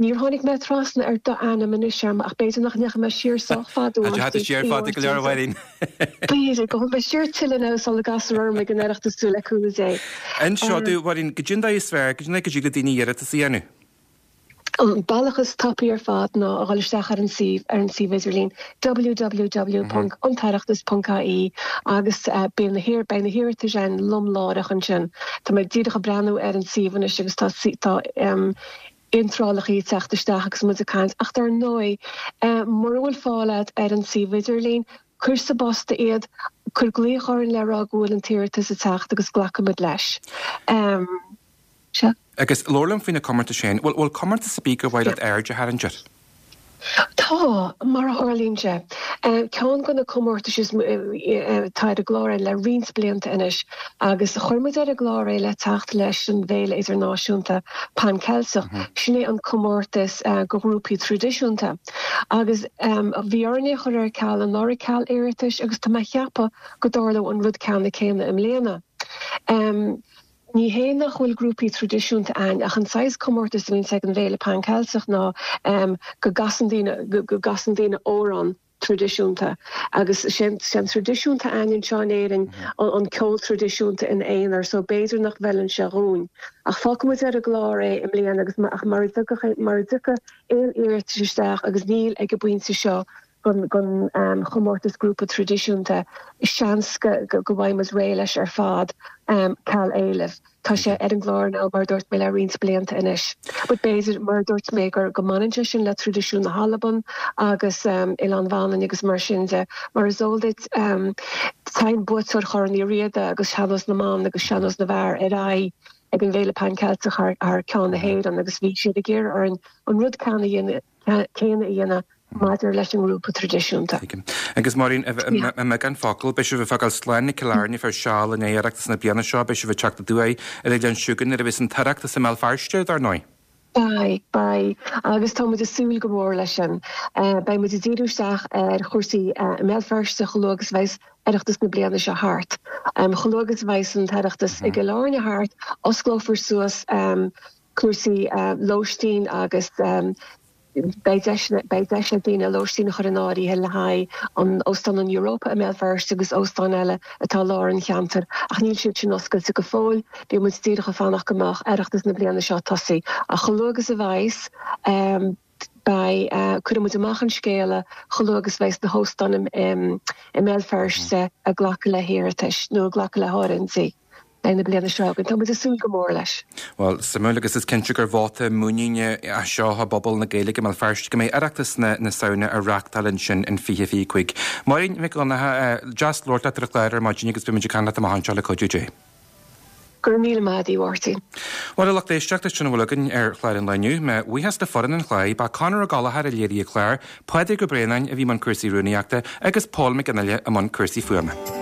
M: Níor tháinig mé trasna ar d'ainm anois orm ach b'fhéidir nach ndeachaigh mé siar sách fada
A: Tá tú siar fada go leor, a Mháirín.
M: B'fhéidir. Gabhfaidh mé siar tuilleadh now sula gcastar orm ag an Oireachtas tú le cúnamh Dé.
A: Inis domh, a Mháirín, goidé an dóigh is fearr, goidé an dóigh go dtig le daoine iarratas a dhéanamh?
M: An bealach is tapaí ar fad ná a dhul isteach ar an suíomh ar an suíomh idirlín www.antoireachtas.ie agus beidh na beidh na hiarratais ann lom láithreach ansin. Tá mé díreach ag breathnú ar an suíomh anois agus tá tá iontrálacha ag teacht isteach agus muid ag caint ach dar ndóigh mura bhfuil fáil agat ar an suíomh idirlín, cuir sa bpost iad, cuir glaoch orainn le rá go bhfuil an t-iarratas ag teacht agus glacfaimid leis.
A: Sea. Agus labhair liom faoi na comórtais féin. Bhfuil bhfuil comórtas ar bith gur mhaith leat aird a tharraingt air?
M: Tá, mar a tharlaíonn sé. Ceann de na comórtais is atá ar an gclár le roinnt blianta anois agus chuir muid ar an gclár é le teacht leis an bhFéile Idirnáisiúnta Pan Ceilteach, sin é an comórtas do ghrúpaí traidisiúnta. Agus bhí orainn é a chur ar ceal anuraidh ceal iarratais agus tá mé a cheapadh go dtarlóidh an rud ceanna céanna i mbliana. Ní hé nach bhfuil grúpaí traidisiúnta ann ach an saghas comórtas a bhíonns ag an bhFéile Pan Ceilteach ná go gcasann daoine, go gcasann daoine amhrán. Traidisiúnta. Agus sé an traidisiún atá againn anseo in Éirinn an ceol traidisiúnta ina aonar so b'fhéidir nach bhfeileann sé dhúinn. Ach fágfaidh muid ar an gclár é i mbliana agus ach mara dtiocfaidh aon iarratais isteach agus níl ag an bpointe seo don chomórtas grúpa traidisiúnta, seans go bhfaighidh muid réidh leis ar fad ceal éilimh. Tá sé ar an gclár now, mar a dúirt mé, le roinnt blianta anois. But b'fhéidir, mar a dúirt mé, gur go mbaineann sé sin le traidisiún na hAlban agus Oileán Mhanainn agus mar sin de. Mar is eol duit, téann buaiteoir Chorn Uí Riada agus Sean-Nós na mBan agus Sean-Nós na bhFear ar aghaidh ag an bhFéile Pan Ceilteach thar ceann na hÉireann agus bhí siad ag iarraidh orainn an rud céanna a dhéanamh maidir leis an ngrúpa traidisiúnta.
A: Tuigim. Agus Máirín, i mbeagán focal, beidh sibh ag fágáil slán ag Cill Airne fé seal i ndiaidh Oireachtas na bliana seo, beidh sibh ag teacht aduaidh ar an oileán chugainn nuair a bheas an tOireachtas i mBéal Feirste, dar ndóigh.
M: Beidh, beidh. Agus tá muid ag súil go mór leis sin. Beidh muid ag díriú isteach ar chúrsaí i mBéal Feirste chomh luath agus a bheas Oireachtas na bliana seo thart. Chomh luath agus a bheas an tOireachtas i gCill Airne thart, osclófar suas cúrsaí lóistín agus Beidh deis beidh deis ag daoine lóistín a chur in áirithe le haghaidh an Óstán an Europa i mBéal Feirste agus óstáin eile atá i lár an cheantair ach níl siad sin oscailte go fóill. Bíonn muid díreach ag fanacht go mbeadh Oireachtas na bliana seo tosaithe. Ach chomh luath agus a bheas, beidh, cuirfidh muid amach an scéala chomh luath agus a bheas na hóstáin i mBéal Feirste ag glacadh le hiarratais nó ag glacadh le háirithintí. le haghaidh na bliana seo chugainn. Tá muid ag súil go mór leis.
A: Bhuel, suimiúil agus is cinnte gur vóta muiníne é seo i bpobal na Gaeilge i mBéal Feirste go mbeidh Oireachtas na Samhna á reáchtáil ansin in 2025. Máirín Mhic Dhonncha, deas labhairt leat ar an chlár ar maidin agus beidh muid ag caint leat amach anseo le cuidiú Dé.
M: Go raibh míle maith agat, a Mháirtín.
A: Bhuel, a lucht éisteachta, sin a bhfuil againn ar chlár an lae inniu. Mo bhuíochas le foireann an chláir, ba Conor Ó Gallchóir a léirigh an clár, Pádraig Ó Braonáin a bhí i mbun cúrsaí rúnaíochta agus Pól Mac Fhionnghaile i mbun cúrsaí fuaime.